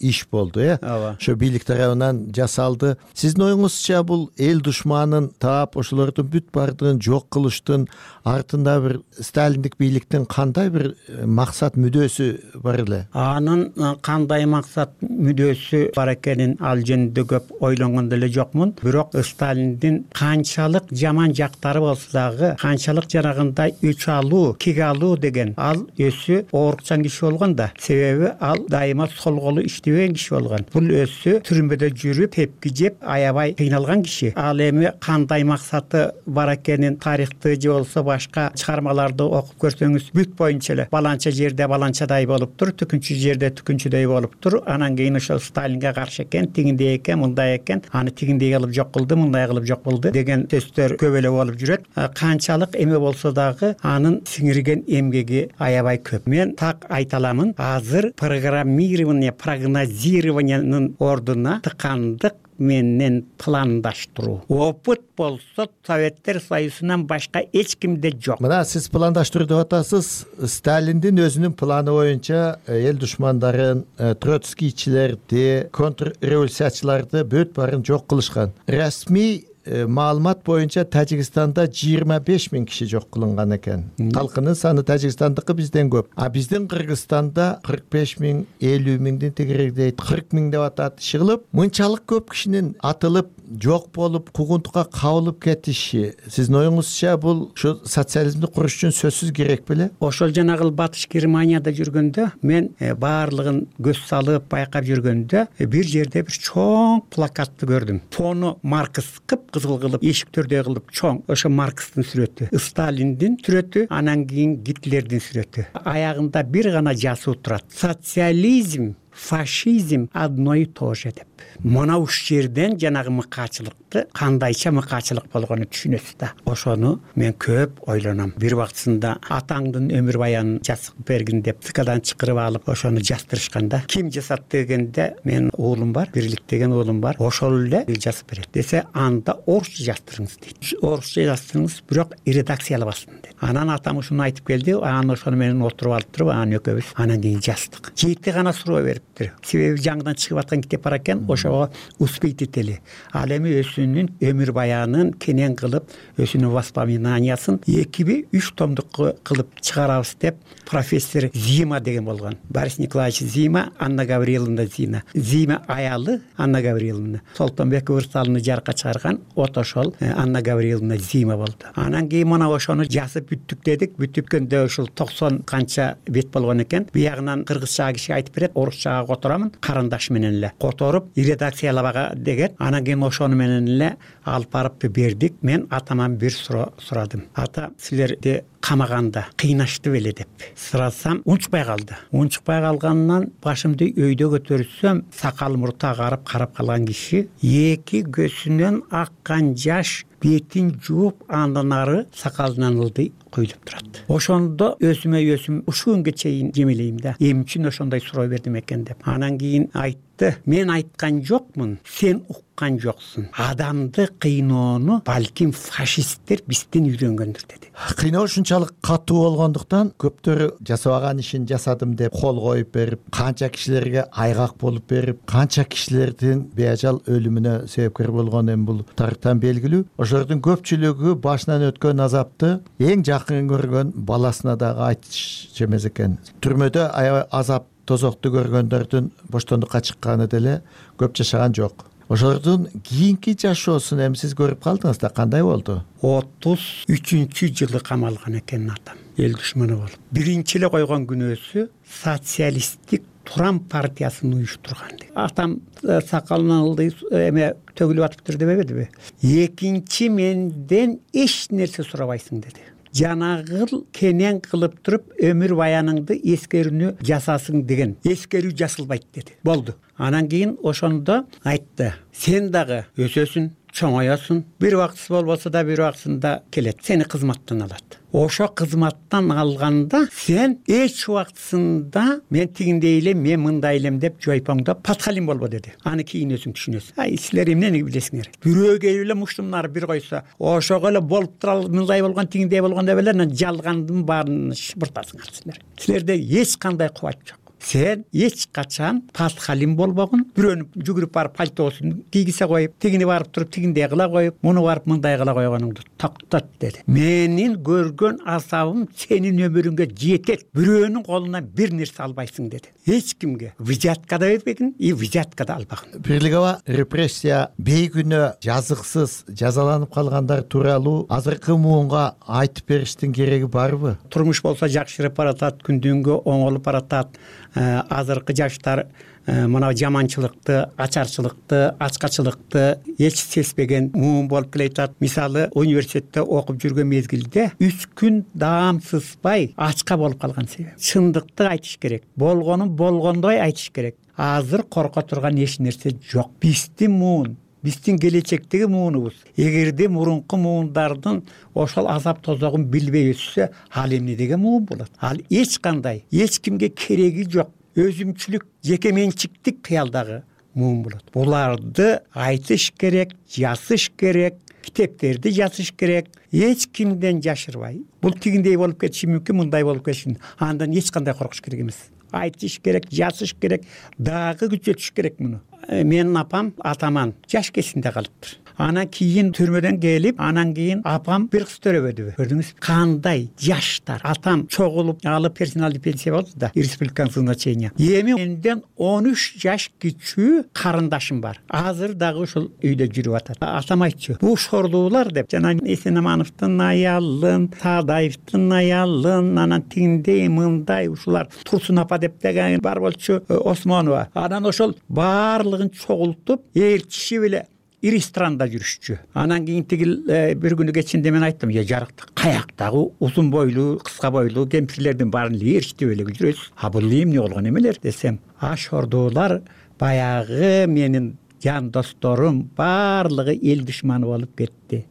S4: иш болду, э? Ошо бийлик тарабынан жасалды. Сиздин оюңузча бул эл душманын таап, ошолордун бүт баардыгын жок кылыштын артында бир сталиндик бийликтин кандай бир максат мүдөөсү бар эле?
S5: Анын кандай максат мүдөөсү бар экенин ал жөнүндө көп ойлонгон деле жокмун. Бирок Сталиндин канчалык жаман жактары болсо дагы, канчалык жанагындай өч алуу, кек алуу деген ал өзү оорукчан киши болгон да. Себеби ал дайыма сол колу иштебеген киши болгон. Бул өзү түрмөдө жүрүп, тепки жеп, аябай кыйналган киши. Ал эми кандай максаты бар экенин тарыхты же болсо башка чыгармаларды окуп көрсөңүз бүт боюнча эле баланча жерде баланчадай болуптур, түкүнчү жерде түкүнчүдөй болуптур. Анан кийин ошол Сталинге каршы экен, тигиндей экен, мындай экен, аны тигиндей кылып жок кылды, мындай кылып жок кылды деген сөздөр көп эле болуп жүрөт. Канчалык эме болсо дагы анын сиңирген эмгеги аябай көп. Мен так айта аламын, азыр программирование, прогнозированиянын ордуна тыкандык менен пландаштыруу. Опыт болсо Советтер Союзунан башка эч кимде жок.
S4: Мына сиз пландаштыруу деп атасыз. Сталиндин өзүнүн планы боюнча эл душмандарын, троцкийчилерди, контрреволюциячыларды бүт баарын жок кылышкан. Расмий маалымат боюнча Тажикстанда жыйырма беш миң киши жок кылынган экен. Калкынын саны Тажикстандыкы бизден көп. А биздин Кыргызстанда кырк беш миң, элүү миңдин тегерегидей кырк миң деп атат. Чыгылып, мынчалык көп кишинин атылып, жок болуп, куугунтукка кабылып кетиши, сиздин оюңузча бул ушу социализмди куруш үчүн сөзсүз керек беле?
S5: Ошол жанагы Батыш Германияда жүргөндө мен баардыгын көз салып байкап жүргөндө бир жерде бир чоң плакатты көрдүм. Фону Маркс кып кызыл кылып, эшиктөрдөй кылып чоң, ошо Маркстын сүрөтү, Сталиндин сүрөтү, анан кийин Гитлердин сүрөтү. Аягында бир гана жазуу турат: социализм, фашизм одно и то же деп. Мына уш жерден жанагы мыкаачылыкты, кандайча мыкаачылык болгонун түшүнөсүз да. Ошону мен көп ойлоном. Бир убактысында атаңдын өмүр баянын жазып бергин деп цикадан чакырып алып, ошону жаздырышканда, ким жасат дегенде, мен уулум бар, Бирлик деген уулум бар. Ошол эле жазып берет. Десе, анда орусча жаздырыңыз дейт. Орусча жаздырыңыз, бирок редакциялабасын дейт. Анан атам ушуну айтып келди, анан ошону менен отуруп алып туруп, анан экөөбүз анан кийин жаздык. Жети гана суроо берип бериптир. Себеби жаңыдан чыгып аткан китеп бар экен, ошого успеть этели. Ал эми өзүнүн өмүр баянын кенен кылып, өзүнүн воспоминаниясын экиби үч томдук кылып чыгарабыз деп профессор Зима деген болгон. Борис Николаевич Зима, Анна Гавриловна Зина. Зима аялы Анна Гавриловна. Солтонбек Урсалны жарыкка чыгарган от ошол Анна Гавриловна Зима болду. Анан кийин мына ошону жазып бүттүк дедик. Бүтүпкөндө ушул токсон канча бет болгон экен. Биягынан кыргызча киши айтып берет, орусчага которамын, карындаш менен эле которуп редакциялабага деген. Анан кийин ошону менен эле алып барып бердик. Мен атаман бир сурадым. Ата, силерди камаганда кыйнашты беле деп сурасам, унчукпай калды. Унчукпай калганынан башымды өйдө көтөрсөм, сакал мурту агарып карап калган киши эки көзүнөн аккан жаш бетин жууп, андан ары сакалынан ылдый куюлуп турат. Ошондо өзүмө өзүм ушул күнгө чейин жемелейм да. Эмне үчүн ошондой суроо бердим экен деп. Анан кийин айтты, мен айткан жокмун, сен уккан жоксуң. Адамды кыйноону балким фашисттер бизден үйрөнгөндүр деди.
S4: Кыйноо ушунчалык катуу болгондуктан көптөрү жасабаган ишин жасадым деп кол коюп берип, канча кишилерге айгак болуп берип, канча кишилердин беажал өлүмүнө себепкер болгон эми бул тарыхтан белгилүү. Ошолордун көпчүлүгү башынан өткөн азапты эң жакын көргөн баласына дагы айтыш эмес экен. Түрмөдө азап тозокту көргөндөрдүн боштондукка чыкканы деле көп жашаган жок. Ошолордун кийинки жашоосун эми сиз көрүп калдыңыз да, кандай болду?
S5: отуз үчүнчү жылы камалган экен атам, эл душманы болуп. Биринчи эле койгон күнөөсү социалисттик Туран партиясын уюштурган. Атам сакалынан ылдый эме төгүлүп атыптыр дебебедиби? Экинчи менден эч нерсе сурабайсың деди. Жанагыл кенен кылып туруп өмүр баяныңды эскерүүнү жасасың деген. Эскерүү жасалбайт деди. Болду. Анан кийин ошондо айтты, сен дагы өсөсүң, чоңоёсуң, бир убактысы болбосо да бир убактысында келет, сени кызматтан алат. Ошо кызматтан алганда сен эч убактысында мен тигиндей элем, мен мындай элем деп жойпоңдоп подхалим болбо деди. Аны кийин өзүң түшүнөсүң. Ай, силер эмнени билесиңер? Бирөө келип эле муштумнары бир койсо, ошого эле болуп тура мындай болгон, тигиндей болгон деп эле жалгандын баарын шыпыртасыңар силер. Силерде эч кандай кубат жок. Сен эч качан подхалим болбогун, бирөөнү жүгүрүп барып пальтосун кийгизе коюп, тигини барып туруп тигиндей кыла коюп, муну барып мындай кыла койгонуңду токтот деди. Менин көргөн азабым сенин өмүрүңгө жетет. Бирөөнүн колунан бир нерсе албайсың деди. Эч кимге взятка да бербегин, и взятка да албагын.
S4: Бирлигаба репрессия бейгүнөө жазыксыз жазаланып калгандар тууралуу азыркы муунга айтып бериштин кереги барбы?
S5: Турмуш болсо жакшырып баратат, күндүнгө оңолуп баратат. Азыркы жаштар мына жаманчылыкты, ачарчылыкты, ачкачылыкты эч сезбеген муун болуп келатат. Мисалы, университетте окуп жүргөн мезгилде үч күн даам сызбай ачка болуп калган себеп. Чындыкты айтыш керек. Болгонун болгондой айтыш керек. Азыр корко турган эч нерсе жок. Биздин муун, биздин келечектеги муунубуз. Эгерде мурунку муундардын ошол азап тозогун билбей өтсө, ал эмне деген муун болот? Ал эч кандай, эч кимге кереги жок. Өзүмчүлүк, жеке менчиктик кыялдагы муун болот. Буларды айтыш керек, жазыш керек, китептерди жазыш керек. Эч кимден жашырбай. Бул тигиндей болуп кетиши мүмкүн, мындай болуп кетиши. Андан эч кандай коркуш керек эмес. Айтыш керек, жазыш керек, дагы күчөтүш керек муну. Менин апам атаман жаш кезинде калыптыр. Анан кийин түрмөдөн келип, анан кийин апам бир кыз төрөбөдүбү. Көрдүңүзбү? Кандай жаштар. Атам чогулуп алып персоналдык пенсия болду да, республиканское значение. Эми менден он үч жаш кичүү карындашым бар. Азыр дагы ушул үйдө жүрүп атат. Атам айтчу, бул шорлуулар деп, жана Эсенамановдун аялын, Тадаевдин аялын, анан тигиндей, мындай ушулар Турсун апа деп деген бар болчу, Осмонова. Анан ошол баарлыгын чогултуп, ээрчишип эле ири страндада жүрүшчү. Анан кийин тигил бир күнү кечинде мен айттым, "Я жарыкты каяктагы узун бойлуу, кыска бойлуу кемпирлердин баарын ээрчитип эле жүрөсүз. А бул эмне болгон эмелер?" десем, "А шордуулар баягы менин жан досторум баарлыгы эл душманы болуп кетти.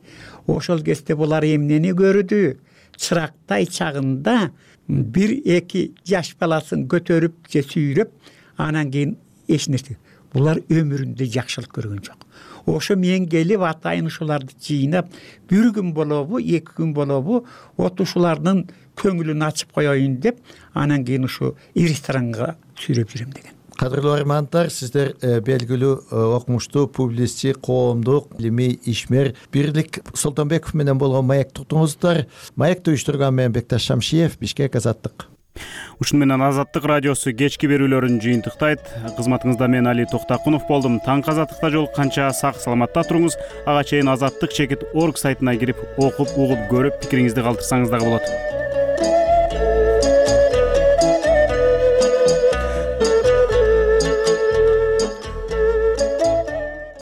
S5: Ошол кезде булар эмнени көрдү? Чырактай чагында бир эки жаш баласын көтөрүп же сүйрөп, анан кийин эч нерсе. Булар өмүрүндө жакшылык көргөн жок. Ошо мен келип атайын ушуларды жыйнап, бир күн болобу, эки күн болобу, от ушулардын көңүлүн ачып коеюн деп, анан кийин ушу ресторанга сүйрөп жүрөм деген.
S4: кадырлуу армандар, сиздер белгилүү окумуштуу публицист, коомдук илимий ишмер Бирлик Солтонбеков менен болгон маекти уктуңуздар. Маекти уюштурган мен Бекташ Шамшиев, Бишкек, Азаттык.
S1: Ушуну менен Азаттык радиосу кечки берүүлөрүн жыйынтыктайт. Кызматыңызда мен Али Токтакунов болдум. Таңкы Азаттыкта жолукканча сак саламатта туруңуз. Ага чейин азаттык чекит орг сайтына кирип окуп, угуп, көрүп, пикириңизди калтырсаңыз дагы болот.